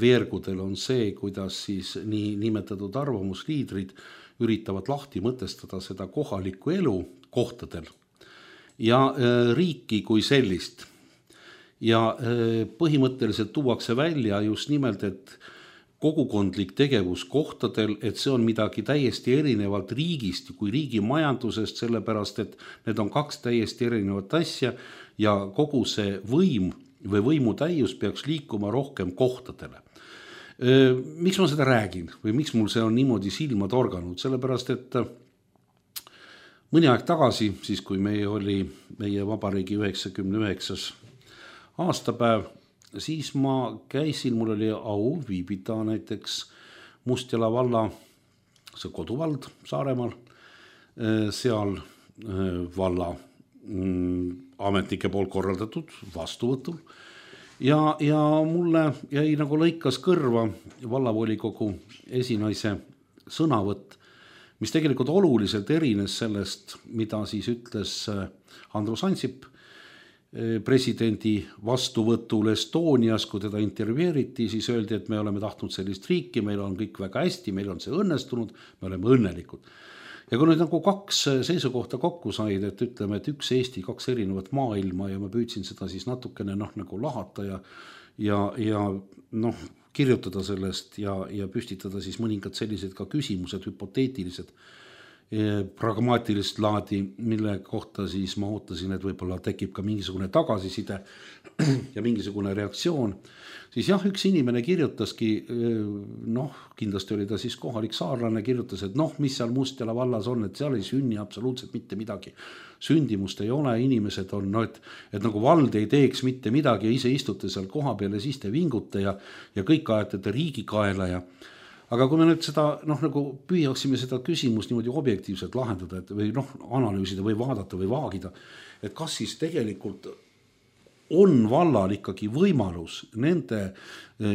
veergudel on see, kuidas siis nii nimetatud arvamusliidrid üritavad lahti mõtestada seda kohalikku elu kohtadel ja riiki kui sellist. Ja põhimõtteliselt tuuakse välja just nimelt, et kogukondlik tegevus kohtadel, et see on midagi täiesti erinevalt riigist kui riigi majandusest, sellepärast, et need on kaks täiesti erinevat asja ja kogu see võim või võimu täius peaks liikuma rohkem kohtadele. Miks ma seda räägin või miks mul see on niimoodi silma torganud? Sellepärast, et mõni aeg tagasi, siis kui meie oli meie vabariigi üheksakümne üheksas aastapäev, siis ma käisin, mul oli au viibida näiteks Mustjala valla, see koduvald Saaremaal, seal valla ametnike poolt korraldatud vastuvõtul. Ja, ja mulle jäi nagu lõikas kõrva vallavolikogu esinaise sõnavõtt, mis tegelikult oluliselt erines sellest, mida siis ütles Andrus Ansip presidendi vastuvõtul Estonias, kui teda intervjueeriti, siis öeldi, et me oleme tahtnud sellist riiki, meil on kõik väga hästi, meil on see õnnestunud, me oleme õnnelikud. Ja kui nüüd nagu kaks seisukohta kokku said, et ütleme, et üks Eesti, kaks erinevat maailma ja ma püüdsin seda siis natukene noh, nagu lahata ja, ja, ja noh, kirjutada sellest ja, ja püstitada siis mõningad sellised ka küsimused, hüpoteetilised. pragmaatilist laadi, mille kohta siis ma ootasin, et võib-olla tekib ka mingisugune tagasiside ja mingisugune reaktsioon, siis jah, üks inimene kirjutaski, noh, kindlasti oli ta siis kohalik saarlane, kirjutas, et noh, mis seal Mustjala vallas on, et seal ei sünni absoluutselt mitte midagi. Sündimust ei ole, inimesed on, no, et, et nagu vald ei teeks mitte midagi ja ise istute seal koha peal ja siis te vingute ja, ja kõik ajatate riigi kaela ja aga kui me nüüd seda, noh, nagu püüaksime seda küsimust niimoodi objektiivselt lahendada, et või noh, analüüsida või vaadata või vaagida, et kas siis tegelikult on vallal ikkagi võimalus nende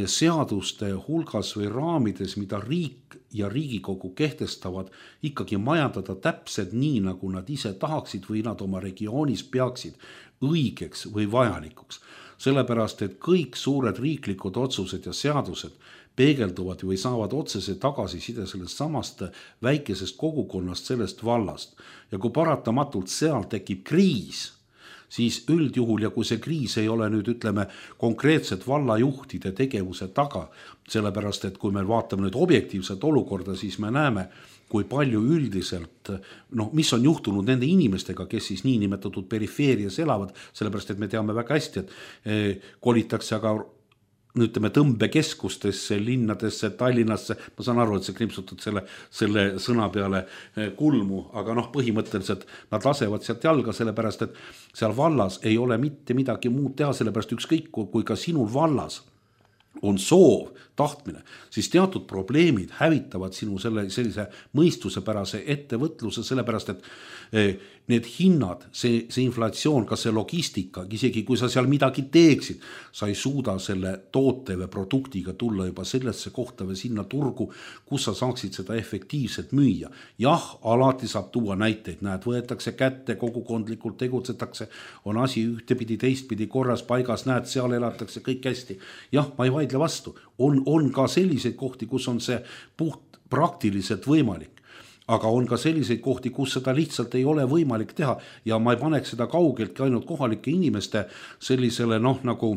seaduste hulgas või raamides, mida riik ja Riigikogu kehtestavad, ikkagi majandada täpselt nii, nagu nad ise tahaksid või nad oma regioonis peaksid õigeks või vajalikuks. Sellepärast, et kõik suured riiklikud otsused ja seadused peegelduvad või saavad otsese tagasiside sellest samast väikesest kogukonnast, sellest vallast. Ja kui paratamatult seal tekib kriis, siis üldjuhul ja kui see kriis ei ole nüüd, ütleme, konkreetselt vallajuhtide tegevuse taga, sellepärast, et kui me vaatame nüüd objektiivset olukorda, siis me näeme, kui palju üldiselt, noh, mis on juhtunud nende inimestega, kes siis nii nimetatud perifeerias elavad, sellepärast, et me teame väga hästi, et kolitakse aga ütleme tõmbekeskustesse, linnadesse, Tallinnasse, ma saan aru, et see krimpsutud selle, selle sõna peale kulmu, aga noh, põhimõtteliselt nad lasevad sealt jalga, sellepärast, et seal vallas ei ole mitte midagi muud teha, sellepärast ükskõik, kui ka sinul vallas on soov, tahtmine, siis teatud probleemid hävitavad sinu selle, sellise mõistusepärase ettevõtluse, sellepärast, et need hinnad, see, see inflatsioon, ka see logistika, isegi kui sa seal midagi teeksid, sa ei suuda selle toote või produktiga tulla juba sellesse kohta või sinna turgu, kus sa saaksid seda efektiivselt müüa. Jah, alati saab tuua näiteid, näed, võetakse kätte, kogukondlikult tegutsetakse, on asi ühtepidi, teistpidi korras paigas, näed, seal elatakse kõik hästi. Jah, ma ei vaidle vastu. On, on ka selliseid kohti, kus on see puht praktiliselt võimalik. Aga on ka selliseid kohti, kus seda lihtsalt ei ole võimalik teha ja ma ei paneks seda kaugeltki ainult kohalike inimeste sellisele noh, nagu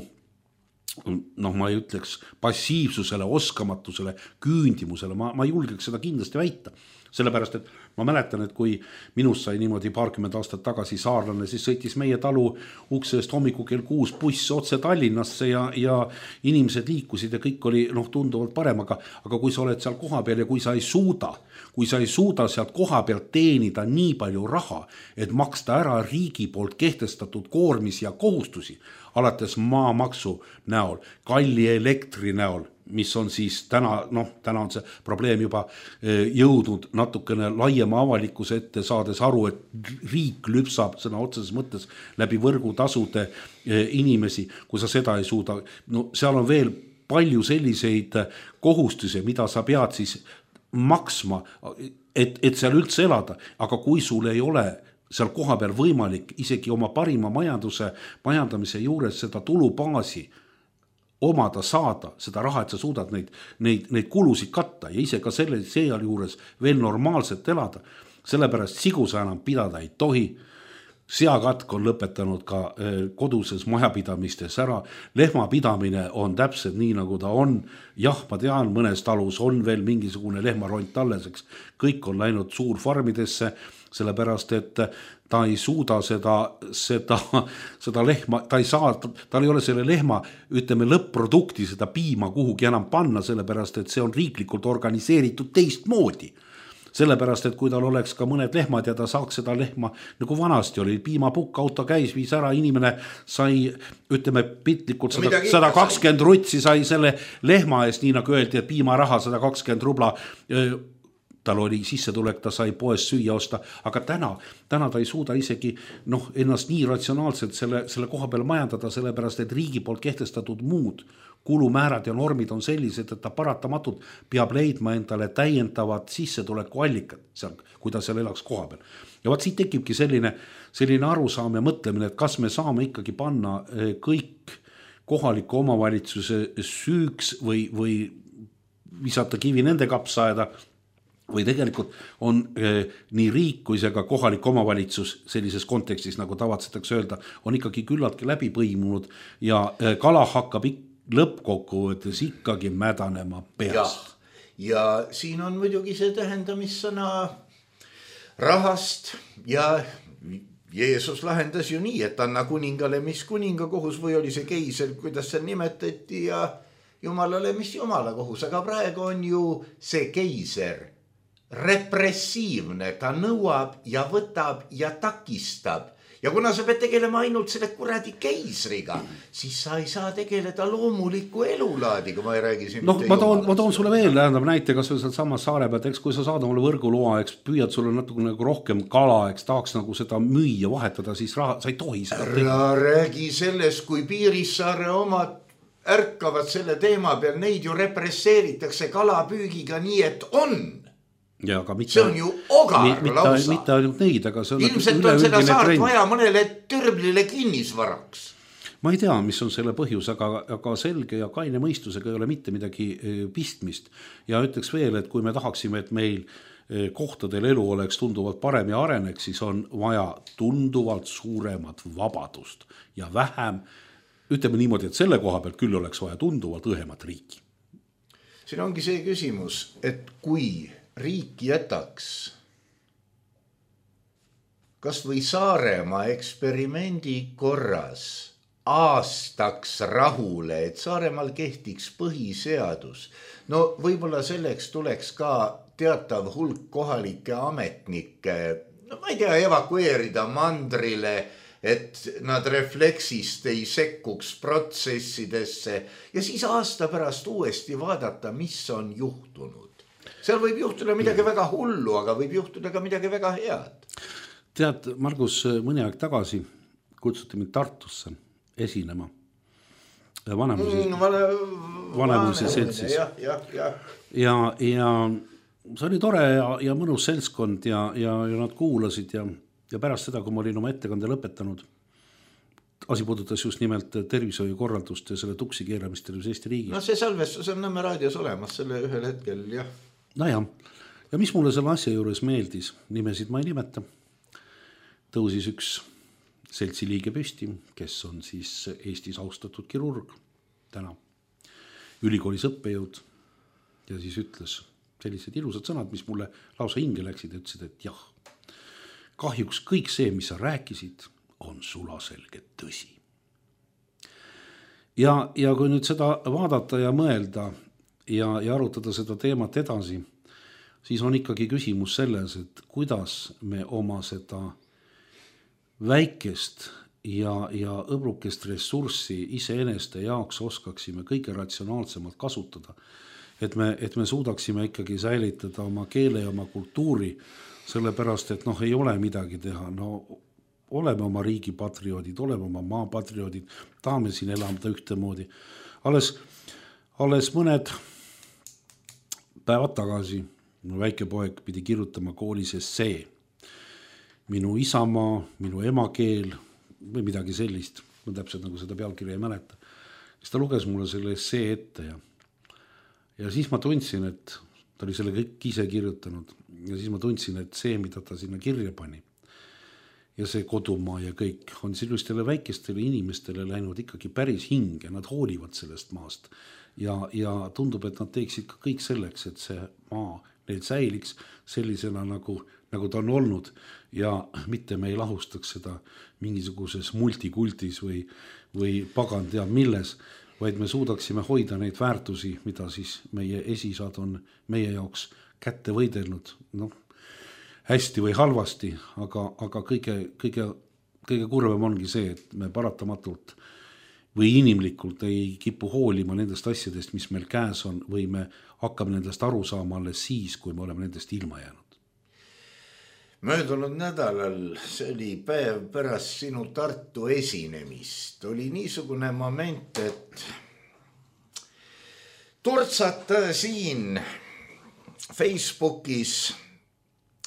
noh, ma ei ütleks passiivsusele, oskamatusele, küündimusele, ma, ma julgeks seda kindlasti väita. Sellepärast, et ma mäletan, et kui minust sai niimoodi paarkümmend aastat tagasi saarlane, siis sõitis meie talu uksest hommiku kell kuus buss otse Tallinnasse ja, ja inimesed liikusid ja kõik oli noh, tunduvalt parem, aga, aga kui sa oled seal koha peal ja kui sa ei suuda, kui sa ei suuda sealt koha pealt teenida nii palju raha, et maksta ära riigi poolt kehtestatud koormis ja kohustusi, alates maamaksu näol, kalli elektri näol, mis on siis täna, noh, täna on see probleem juba jõudnud natukene laiema avalikkuse ette, saades aru, et riik lüpsab sõna otseses mõttes läbi võrgutasude inimesi, kui sa seda ei suuda. No seal on veel palju selliseid kohustusi, mida sa pead siis maksma, et, et seal üldse elada, aga kui sul ei ole seal koha peal võimalik isegi oma parima majanduse, majandamise juures seda tulubaasi omada saada, seda raha, et sa suudad neid, neid, neid kulusid katta ja ise ka selle seal juures veel normaalselt elada. Sellepärast sigusa enam pidada ei tohi. Seakatk on lõpetanud ka koduses majapidamistes ära. Lehmapidamine on täpselt nii, nagu ta on. Jah, ma tean, mõnes talus on veel mingisugune lehmaront alleseks. Kõik on läinud suurfarmidesse, sellepärast, et ta ei suuda seda, seda, seda lehma, ta ei saa, tal ei ole selle lehma, ütleme, lõpp-produkti, seda piima kuhugi enam panna, sellepärast, et see on riiklikult organiseeritud teistmoodi. Sellepärast, et kui tal oleks ka mõned lehmad ja ta saaks seda lehma, nagu vanasti oli, piimapukk, auto käis, viis ära, inimene sai, ütleme, pitlikult sada kakskümmend rutsi sai selle lehma eest, nii nagu öeldi, et piimaraha sada kakskümmend rubla, tal oli sissetulek, ta sai poes süüa osta, aga täna, täna ta ei suuda isegi noh, ennast nii ratsionaalselt selle, selle koha peal majandada, sellepärast, et riigi poolt kehtestatud muud kulumäärad ja normid on sellised, et ta paratamatult peab leidma endale täiendavad sissetuleku allikad, seal, kui ta seal elaks koha peal. Ja vaat siit tekibki selline, selline arusaam ja mõtlemine, et kas me saame ikkagi panna kõik kohaliku omavalitsuse süüks või, või visata kivi nende kapsaaeda, või tegelikult on eh, nii riik kui see ka kohalik omavalitsus sellises kontekstis, nagu tavatsetakse öelda, on ikkagi küllaltki läbi põimunud ja eh, kala hakkab ik- lõppkokkuvõttes ikkagi mädanema peas. Ja, ja siin on muidugi see tähendamissõna rahast ja Jeesus lahendas ju nii, et anna kuningale, mis kuninga kohus või oli see keiser, kuidas seal nimetati ja jumalale, mis jumala kohus, aga praegu on ju see keiser repressiivne, ta nõuab ja võtab ja takistab. Ja kuna sa pead tegelema ainult selle kuradi keisriga, siis sa ei saa tegeleda loomuliku elulaadiga, ma ei räägi siin. No, ma toon, ma toon sulle veel tähendab näite, kas või samas saare pealt, eks kui sa saad omale võrguloa, eks püüad sulle natuke nagu rohkem kala, eks tahaks nagu seda müüa, vahetada, siis raha, sa ei tohi seda teha. Räägi sellest, kui Piirissaare omad ärkavad selle teema peal, neid ju represseeritakse kalapüügiga nii, et on. Ja, aga mitte, see on ju ogar mitte, lausa. Mitte ainult neid, aga see on ilmselt on seda saart trend. Vaja mõnele türblile kinnisvaraks. Ma ei tea, mis on selle põhjus, aga, aga selge ja kaine mõistusega ei ole mitte midagi pistmist. Ja ütleks veel, et kui me tahaksime, et meil kohtadel elu oleks tunduvalt parem ja areneks, siis on vaja tunduvalt suuremat vabadust ja vähem, ütleme niimoodi, et selle koha pealt küll oleks vaja tunduvalt õhemat riiki. Siin ongi see küsimus, et kui riik jätaks kas või Saaremaa eksperimendi korras aastaks rahule, et Saaremaal kehtiks põhiseadus. No võib-olla selleks tuleks ka teatav hulk kohalike ametnikke, no ma ei tea, evakueerida mandrile, et nad refleksist ei sekkuks protsessidesse ja siis aasta pärast uuesti vaadata, mis on juhtunud. Seal võib juhtuda midagi väga hullu, aga võib juhtuda ka midagi väga head. Tead, Margus, mõni aeg tagasi kutsuti mind Tartusse esinema Vanemuise, mm, vane, Vanemuise seltsis. Ja, ja, ja. Ja, ja see oli tore ja, ja mõnus seltskond ja, ja, ja nad kuulasid ja, ja pärast seda, kui ma olin oma ettekande lõpetanud, asi puudutas just nimelt tervishoiukorraldust ja selle tuksi keeramist tervis Eesti riigis. No see salvestus on Nõmme raadios olemas selle ühel hetkel, jah. No ja, ja mis mulle selle asja juures meeldis, nimesid ma ei nimeta, tõusis üks seltsi liige püsti, kes on siis Eestis austatud kirurg täna, ülikoolis õppejõud ja siis ütles sellised ilusad sõnad, mis mulle lausa hinge läksid ja ütlesid, et jah, kahjuks kõik see, mis sa rääkisid, on sulaselge tõsi. Ja, ja kui nüüd seda vaadata ja mõelda ja, ja arutada seda teemat edasi, siis on ikkagi küsimus selles, et kuidas me oma seda väikest ja, ja õbrukest ressurssi iseeneste jaoks oskaksime kõige ratsionaalsemalt kasutada, et me, et me suudaksime ikkagi säilitada oma keele ja oma kultuuri, sellepärast, et noh, ei ole midagi teha, no oleme oma riigi patrioodid, oleme oma maa patrioodid, tahame siin elamda ühtemoodi. Alles, alles mõned päevad tagasi minu väike poeg pidi kirjutama koolis essee. Minu isamaa, minu emakeel või midagi sellist, ma täpselt nagu seda pealkirja ei mäleta. Siis ta luges mulle selle essee ette ja, ja siis ma tundsin, et ta oli selle kõik ise kirjutanud ja siis ma tundsin, et see, mida ta sinna kirja pani ja see kodumaa ja kõik on sellistele väikestele inimestele läinud ikkagi päris hinge, nad hoolivad sellest maast ja, ja tundub, et nad teeksid ka kõik selleks, et see maa neil säiliks sellisena nagu, nagu ta on olnud ja mitte me ei lahustaks seda mingisuguses multikultis või, või pagan teab milles, vaid me suudaksime hoida neid väärtusi, mida siis meie esisad on meie jaoks kätte võidelnud, noh, hästi või halvasti, aga, aga kõige, kõige, kõige kurvem ongi see, et me paratamatult või inimlikult ei kipu hoolima nendest asjadest, mis meil käes on, või me hakkame nendest aru saama alles siis, kui me oleme nendest ilma jäänud. Möödunud nädalal, see oli päev pärast sinu Tartu esinemist, oli niisugune moment, et turtsata siin Facebookis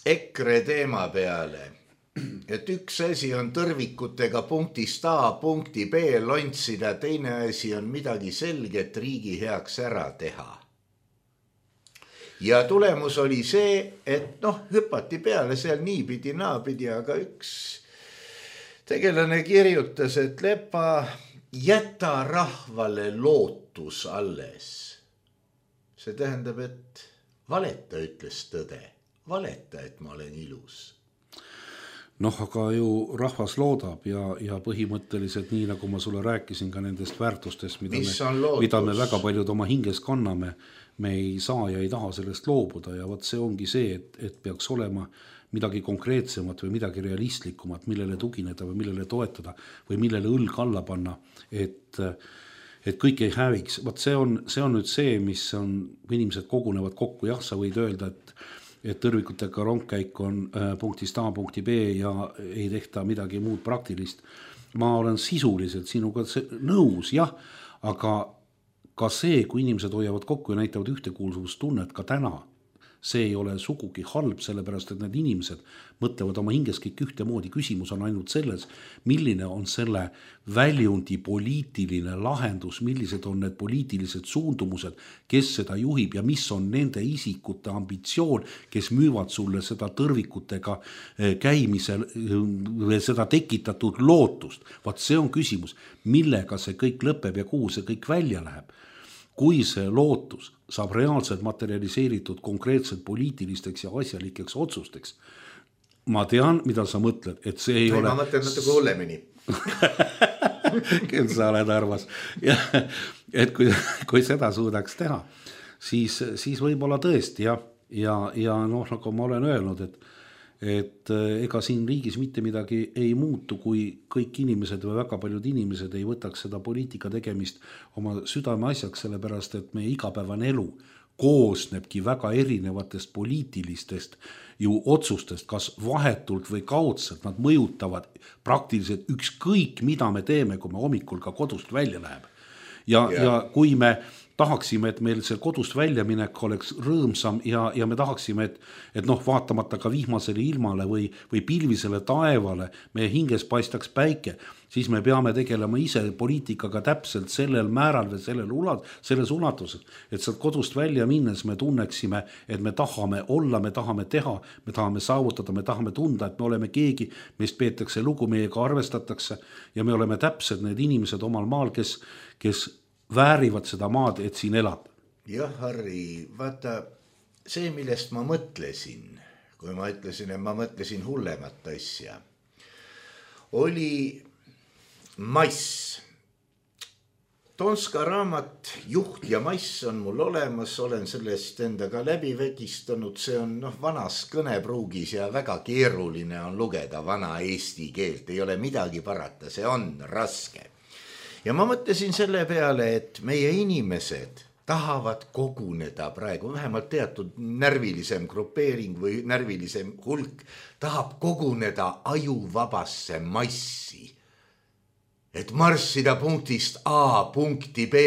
EKRE teema peale, et üks asi on tõrvikutega punktist A punkti B lontsida, teine asi on midagi selget riigi heaks ära teha. Ja tulemus oli see, et noh, hüpati peale seal niipidi, naapidi, aga üks tegelane kirjutas, et Lepa, jäta rahvale lootus alles. See tähendab, et valeta, ütles tõde. Valeta, et ma olen ilus. noh, aga ju rahvas loodab ja, ja põhimõtteliselt nii, nagu ma sulle rääkisin ka nendest väärtustest, mida, me, mida me väga paljud oma hinges kanname, me ei saa ja ei taha sellest loobuda ja võt see ongi see, et, et peaks olema midagi konkreetsemat või midagi realistlikumat, millele tugineda või millele toetada või millele õlg alla panna, et, et kõik ei häviks. Võt see on, see on nüüd see, mis on, inimesed kogunevad kokku, jah, sa võid öelda, et et tõrvikutega rongkäik on äh, punktist A punkti B ja ei tehta midagi muud praktilist. Ma olen sisuliselt sinuga nõus, jah, aga ka see, kui inimesed hoiavad kokku ja näitavad ühtekuuluvustunnet ka täna, see ei ole sugugi halb, sellepärast et need inimesed mõtlevad oma hinges kõik ühtemoodi. Küsimus on ainult selles, milline on selle väljundi poliitiline lahendus, millised on need poliitilised suundumused, kes seda juhib ja mis on nende isikute ambitsioon, kes müüvad sulle seda tõrvikutega käimisel seda tekitatud lootust. Vaat see on küsimus, millega see kõik lõpeb ja kuhu see kõik välja läheb. Kui see lootus saab reaalselt materialiseeritud konkreetselt poliitilisteks ja asjalikeks otsusteks, ma tean, mida sa mõtled, et see ei Või ole... Ma mõtlen natuke hullemini. Küll sa oled arvas. Ja, et kui, kui seda suudaks teha, siis, siis võib-olla tõesti, ja, ja, ja noh, nagu ma olen öelnud, et et ega siin riigis mitte midagi ei muutu, kui kõik inimesed või väga paljud inimesed ei võtaks seda poliitika tegemist oma südame asjaks, sellepärast et meie igapäevane elu koosnebki väga erinevatest poliitilistest ju otsustest, kas vahetult või kaudselt nad mõjutavad praktiliselt ükskõik, mida me teeme, kui me hommikul ka kodust välja läheb. Ja, yeah. ja kui me tahaksime, et meil see kodust väljaminek oleks rõõmsam ja, ja me tahaksime, et, et noh, vaatamata ka vihmasele ilmale või, või pilvisele taevale meie hinges paistaks päike, siis me peame tegelema ise poliitikaga täpselt sellel määral või sellel ulat, selles ulatuses, et sealt kodust välja minnes me tunneksime, et me tahame olla, me tahame teha, me tahame saavutada, me tahame tunda, et me oleme keegi, meist peetakse lugu, meiega arvestatakse ja me oleme täpselt need inimesed omal maal, kes, kes väärivad seda maad, et siin elab. Jah, Harri, vaata, see, millest ma mõtlesin, kui ma ütlesin, et ma mõtlesin hullemat asja, oli mass. Tonska raamat Juht ja mass on mul olemas, olen sellest endaga läbi vegistanud, see on noh, vanas kõnepruugis ja väga keeruline on lugeda vana eesti keelt, ei ole midagi parata, see on raske. Ja ma mõtlesin selle peale, et meie inimesed tahavad koguneda praegu, vähemalt teatud närvilisem grupeering või närvilisem hulk tahab koguneda ajuvabasse massi. Et marssida punktist A punkti B,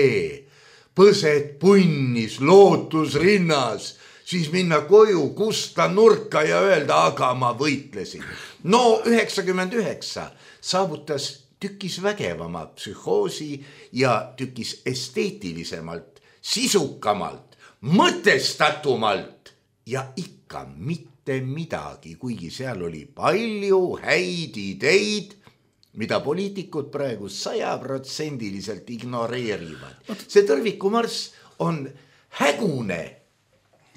põsed punnis, lootus rinnas, siis minna koju, kusta nurka ja öelda, aga ma võitlesin. No üheksakümmend üheksa saavutas tükis vägevama psühhoosi ja tükis esteetilisemalt, sisukamalt, mõtestatumalt ja ikka mitte midagi, kuigi seal oli palju häid ideid, mida poliitikud praegu sajaprotsendiliselt ignoreerivad. See tõrvikumarss on hägune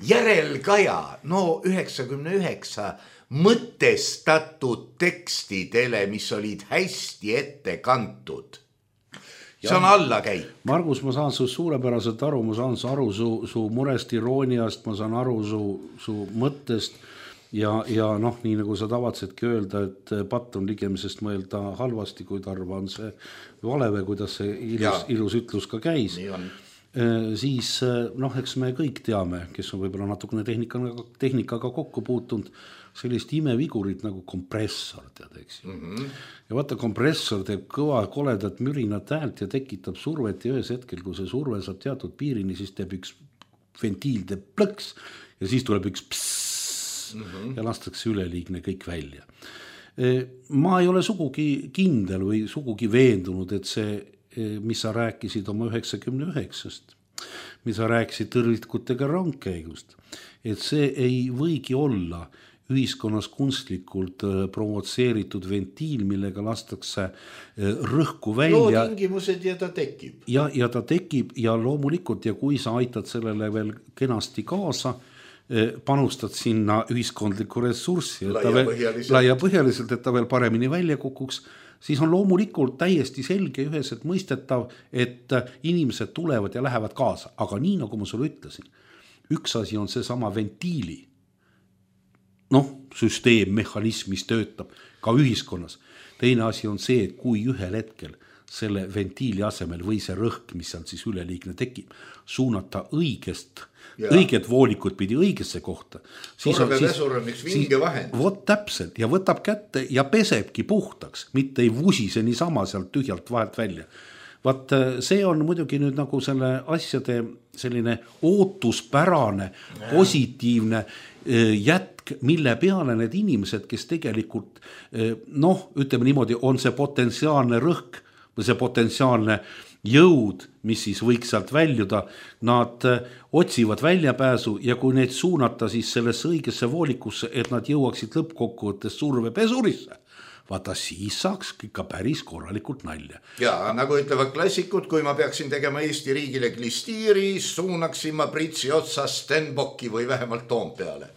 järelkaja, no üheksakümne üheksa mõtestatud tekstidele, mis olid hästi ette kantud. See on allakäik. Margus, ma saan su suurepäraselt aru, ma saan aru su, su murest, irooniast, ma saan aru su, su mõttest ja, ja noh, nii nagu sa tavatsedki öelda, et patt on ligemisest mõelda halvasti, kui tarva on see vale või kuidas see ilus, ilus ütlus ka käis. Siis noh, eks me kõik teame, kes on võib-olla natukene tehnikaga, tehnikaga kokku puutunud, sellist imevigurit nagu kompressor, tead, eks ju. Mm-hmm. Ja vaata, kompressor teeb kõva koledat mürinat häält ja tekitab survet ja ühes hetkel, kui see surve saab teatud piirini, siis teeb üks ventiil teeb plõks ja siis tuleb üks psss mm-hmm. ja lastakse üleliigne kõik välja. Ma ei ole sugugi kindel või sugugi veendunud, et see, mis sa rääkisid oma üheksakümne üheksast, mis sa rääkisid tõrvikutega rongkäigust, et see ei võigi olla ühiskonnas kunstlikult provotseeritud ventiil, millega lastakse rõhku välja. No tingimused ja ta tekib. Ja, ja ta tekib ja loomulikult ja kui sa aitad sellele veel kenasti kaasa, panustad sinna ühiskondlikku ressurssi, et ta Laiapõhjaliselt. laiapõhjaliselt, et ta veel paremini välja kukuks, siis on loomulikult täiesti selge üheselt mõistetav, et inimesed tulevad ja lähevad kaasa. Aga nii, nagu ma sulle ütlesin, üks asi on see sama ventiili, noh, süsteem, mehhanism, mis töötab ka ühiskonnas. Teine asi on see, et kui ühel hetkel selle ventiili asemel või see rõhk, mis seal siis üleliigne tekib, suunata õigest, ja. õiget voolikut pidi õigesse kohta. Survepesur on üks vinge vahend. Vot täpselt ja võtab kätte ja pesebki puhtaks, mitte ei vusise niisama sealt tühjalt vahelt välja. Vaat see on muidugi nüüd nagu selle asjade selline ootuspärane, positiivne jätk, mille peale need inimesed, kes tegelikult, noh, ütleme niimoodi, on see potentsiaalne rõhk või see potentsiaalne jõud, mis siis võiks sealt väljuda, nad otsivad väljapääsu ja kui neid suunata siis sellesse õigesse voolikusse, et nad jõuaksid lõppkokkuvõttes survepesurisse, vaata siis saaks ikka päris korralikult nalja. Ja nagu ütlevad klassikud, kui ma peaksin tegema Eesti riigile klistiiri, suunaksin ma Pritsi otsa Stenbocki või vähemalt Toompeale.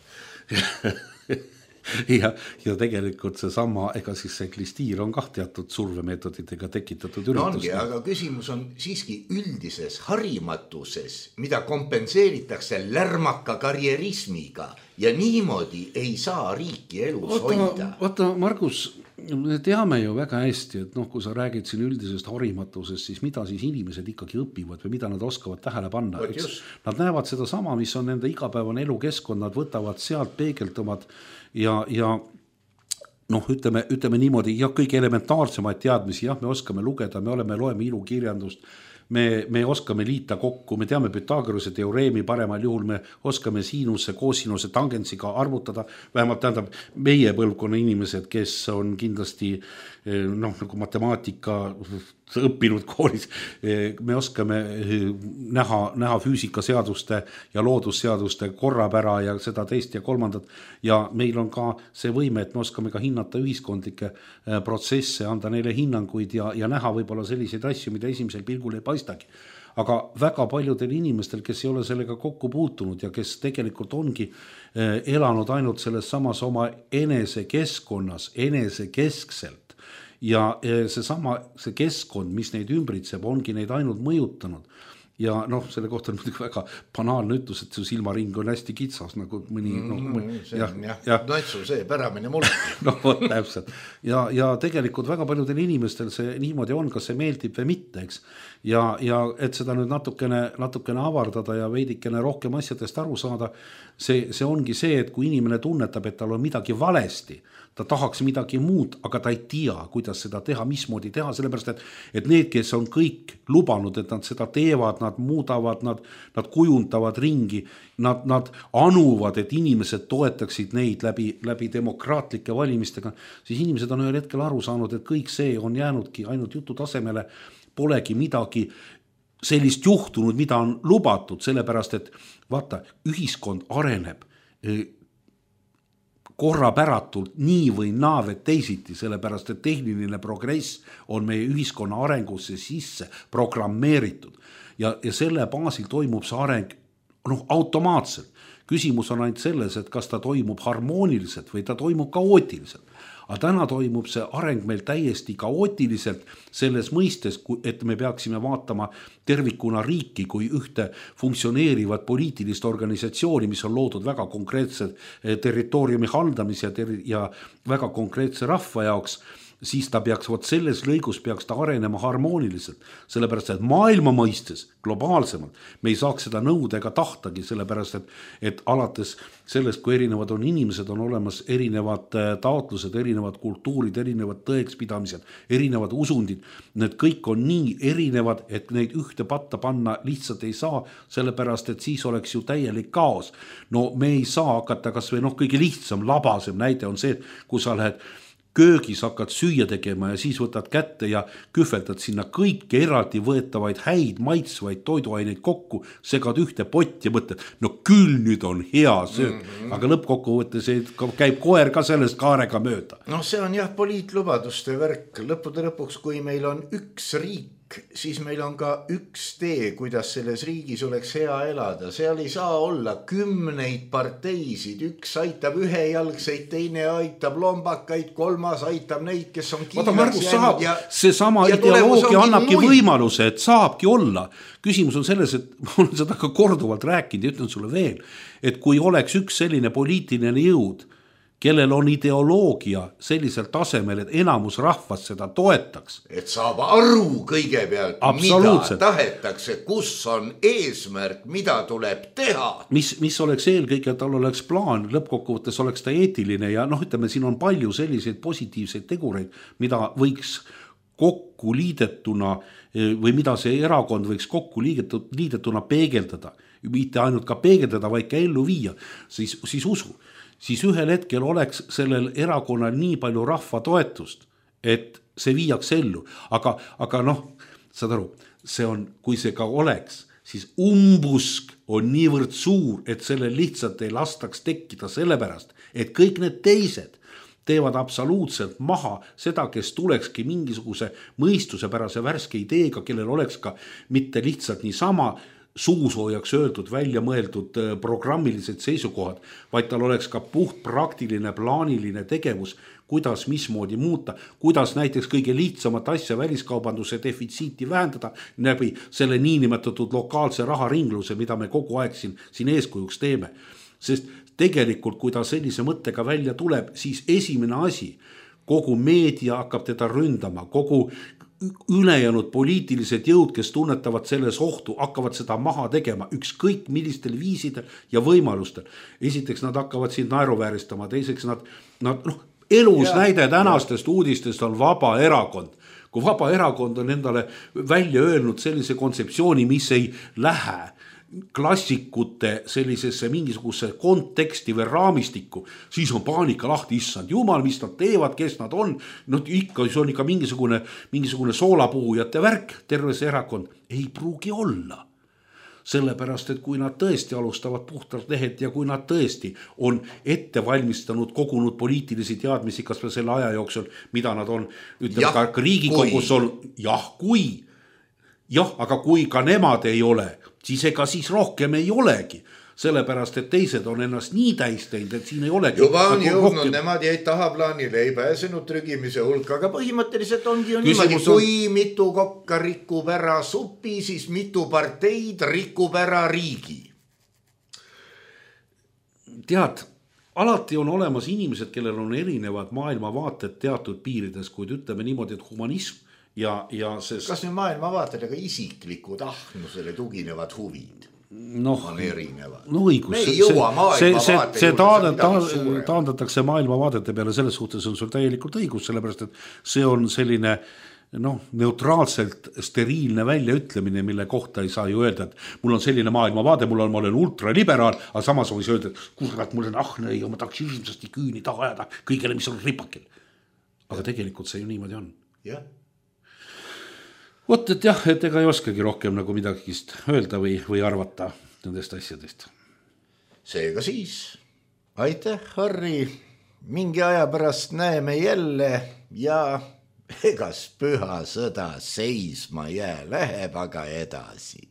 ja, ja tegelikult see sama, ega siis see klistiir on kah teatud survemeetoditega tekitatud üritus. No ongi, aga küsimus on siiski üldises harimatuses, mida kompenseeritakse lärmaka karjerismiga ja niimoodi ei saa riiki elus Oota, hoida. Vaata, Margus, me teame ju väga hästi, et noh, kui sa räägid siin üldisest harimatusest, siis mida siis inimesed ikkagi õpivad või mida nad oskavad tähele panna. Nad näevad seda sama, mis on nende igapäevane elukeskkond, nad võtavad sealt peegeltumad ja, ja noh, ütleme, ütleme niimoodi, ja kõige elementaarsemaid teadmisi, jah, me oskame lugeda, me oleme, loeme ilukirjandust, me, me oskame liita kokku, me teame Pythagorase teoreemi, paremal juhul me oskame siinuse, koosinuse, tangentsiga arvutada, vähemalt tähendab meie põlvkonna inimesed, kes on kindlasti noh, nagu matemaatika õppinud koolis, me oskame näha, näha füüsikaseaduste ja loodusseaduste korrapära ja seda teist ja kolmandat ja meil on ka see võime, et me oskame ka hinnata ühiskondlikke protsesse, anda neile hinnanguid ja, ja näha võib-olla selliseid asju, mida esimesel pilgul ei paistagi. Aga väga paljudel inimestel, kes ei ole sellega kokku puutunud ja kes tegelikult ongi elanud ainult selles samas oma enese keskkonnas, enese keskselt, ja see sama, see keskkond, mis neid ümbritseb, ongi neid ainult mõjutanud. Ja noh, selle kohta on muidugi väga banaalne ütlus, et su silmaring on hästi kitsas, nagu mõni... Mm, no, mõni see on jah, jah. Notsu see päramine mul. no vot, täpselt. Ja, ja tegelikult väga paljudel inimestel see niimoodi on, kas see meeldib või mitte, eks. Ja, ja et seda nüüd natukene, natukene avardada ja veidikene rohkem asjadest aru saada, see, see ongi see, et kui inimene tunnetab, et tal on midagi valesti, ta tahaks midagi muud, aga ta ei tea, kuidas seda teha, mismoodi teha, sellepärast, et, et need, kes on kõik lubanud, et nad seda teevad, nad muudavad, nad, nad kujundavad ringi, nad, nad anuvad, et inimesed toetaksid neid läbi, läbi demokraatlike valimistega, siis inimesed on ühel hetkel aru saanud, et kõik see on jäänudki ainult jutu tasemele, polegi midagi sellist juhtunud, mida on lubatud, sellepärast, et vaata, ühiskond areneb korrapäratult nii või naavet teisiti, sellepärast, et tehniline progress on meie ühiskonna arengusse sisse programmeeritud ja, ja selle baasil toimub see areng noh, automaatselt. Küsimus on ainult selles, et kas ta toimub harmooniliselt või ta toimub kaootiliselt. Aga täna toimub see areng meil täiesti kaootiliselt selles mõistes, et me peaksime vaatama tervikuna riiki kui ühte funktsioneerivat poliitilist organisatsiooni, mis on loodud väga konkreetse territooriumi haldamise ja väga konkreetse rahva jaoks, siis ta peaks, vot selles lõigus peaks ta arenema harmooniliselt, sellepärast, et maailma mõistes globaalsemalt me ei saaks seda nõuda ega tahtagi, sellepärast, et, et alates sellest, kui erinevad on inimesed, on olemas erinevad taotlused, erinevad kultuurid, erinevad tõekspidamised, erinevad usundid, need kõik on nii erinevad, et neid ühte patta panna lihtsalt ei saa, sellepärast, et siis oleks ju täielik kaos. No me ei saa hakata, kas või noh, kõige lihtsam, labasem näide on see, kui sa lähed köögis hakkad süüa tegema ja siis võtad kätte ja kühveldad sinna kõiki eraldi võetavaid häid maitsvaid toiduaineid kokku, segad ühte potti ja mõtled, no küll nüüd on hea söök, mm -hmm. aga lõppkokkuvõttes käib koer ka sellest kaarega mööda. No see on jah poliitlubaduste värk, lõppude lõpuks, kui meil on üks riik, siis meil on ka üks tee, kuidas selles riigis oleks hea elada. Seal ei saa olla kümneid parteisid, üks aitab ühejalgseid, teine aitab lombakaid, kolmas aitab neid, kes on Vaata, Margus saab, ja, see sama ideoloogia annabki muid. Võimaluse, et saabki olla. Küsimus on selles, et ma olen seda ka korduvalt rääkinud ja ütlen sulle veel, et kui oleks üks selline poliitiline jõud, kellel on ideoloogia sellisel tasemel, et enamus rahvast seda toetaks. Et saab aru kõigepealt, mida tahetakse, kus on eesmärk, mida tuleb teha. Mis, mis oleks eelkõige, et tal oleks plaan, lõppkokkuvõttes oleks ta eetiline ja noh, ütleme, siin on palju selliseid positiivseid tegureid, mida võiks kokku liidetuna või mida see erakond võiks kokku liidetuna peegeldada. Mitte ainult ka peegeldada, vaid ka ellu viia, siis, siis usu. Siis ühel hetkel oleks sellel erakonnal nii palju rahva toetust, et see viiaks ellu. Aga, aga noh, saad aru, see on, kui see ka oleks, siis umbusk on niivõrd suur, et selle lihtsalt ei lastaks tekkida sellepärast, et kõik need teised teevad absoluutselt maha seda, kes tulekski mingisuguse mõistusepärase värske ideega, kellel oleks ka mitte lihtsalt niisama suusoojaks öeldud, välja mõeldud programmilised seisukohad, vaid tal oleks ka puht praktiline, plaaniline tegevus, kuidas mismoodi muuta, kuidas näiteks kõige lihtsamat asja väliskaubanduse defitsiiti vähendada läbi selle niinimetatud lokaalse raharingluse, mida me kogu aeg siin, siin eeskujuks teeme. Sest tegelikult, kui ta sellise mõttega välja tuleb, siis esimene asi, kogu meedia hakkab teda ründama, kogu ülejäänud poliitilised jõud, kes tunnetavad selles ohtu, hakkavad seda maha tegema ükskõik millistel viisidel ja võimalustel. Esiteks nad hakkavad siin naeruvääristama, teiseks nad, nad noh, elus ja, näide tänastest ja. Uudistest on vaba erakond. Kui vaba erakond on endale välja öelnud sellise kontseptsiooni, mis ei lähe klassikute sellisesse mingisuguse konteksti või raamistikku, siis on paanika lahti, issand jumal, mis nad teevad, kes nad on, no ikka, see on ikka mingisugune, mingisugune soolapuhujate värk, terve see erakond ei pruugi olla. Sellepärast, et kui nad tõesti alustavad puhtalt lehed ja kui nad tõesti on ette valmistanud, kogunud poliitilisi teadmisi, kas või selle aja jooksul, mida nad on, ütleme ka Riigikogus on, jah, kui, jah, aga kui ka nemad ei ole, siis ega siis rohkem ei olegi. Sellepärast, et teised on ennast nii täis teinud, et siin ei olegi. Juba on jõudnud, rohkem... nemad jäid tahaplaanile, ei pääsenud trügimise hulka, aga põhimõtteliselt ongi ju niimoodi, on... kui mitu kokka rikub ära supi, siis mitu parteid rikub ära riigi. Tead, alati on olemas inimesed, kellel on erinevad maailmavaated teatud piirides, kuid ütleme niimoodi, et humanism ja, ja see... Kas nüüd maailmavaated, aga isiklikud ahnusele tuginevad huvid? noh, on erinevad. No õigus. Me ei jõua maailma see, vaate see juurde, ta, ta, taandatakse maailma vaadete peale, selles suhtes on sul täielikult õigus, sellepärast et see on selline noh, neutraalselt steriilne väljaütlemine, mille kohta ei saa ju öelda, et mul on selline maailmavaade, mul on, ma olen ultraliberaal, aga samas võis öelda, et kurat, mul on ahne ja ma tahaks hirmsasti küüni taha ajada kõigele, mis on ripakil. Aga ja. Tegelikult see ju niimoodi on. Jah. Vot, et jah, et ega ei oskagi rohkem nagu midagist öelda või, või arvata nendest asjadest. Seega siis, aitäh, Harri, mingi aja pärast näeme jälle ja egas püha sõda seisma jää, läheb aga edasi.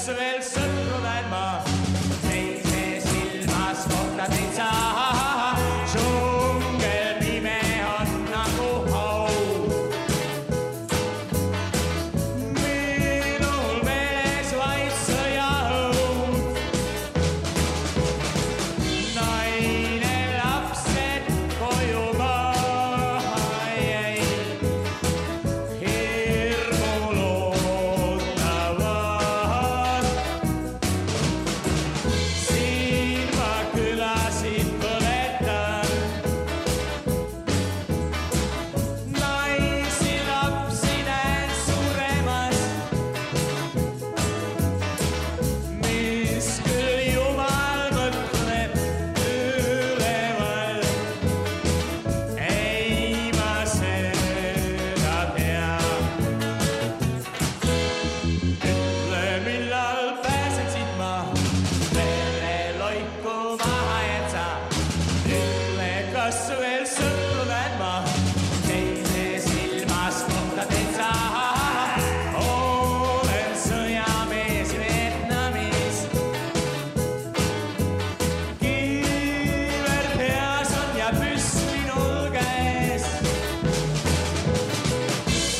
Veel sõtru näen ma, seise silmas kohta teid saa. kukku maha jätsa. Ütle, kas veel sõprulen ma, teise silmas kohtadel saa. Olen sõjamees Vietnamis. Kiiver peas on ja püss minul käes.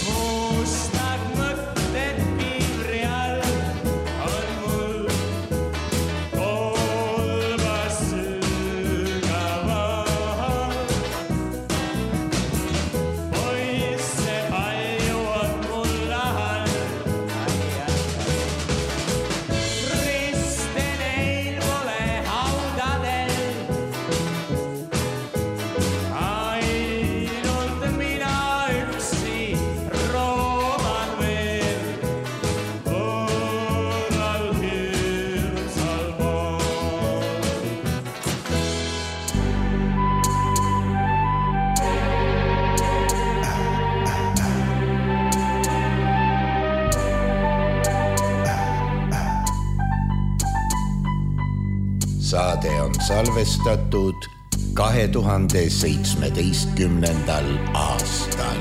Mustad mõtted piivri all on mul kolbas sügaval. Poisse palju on mul ahal. Riste neil pole haudadel. Ainult mina üksi rooman veel võõral hirmsal pool. Saade on salvestatud kahe tuhande seitsmeteistkümnendal aastal.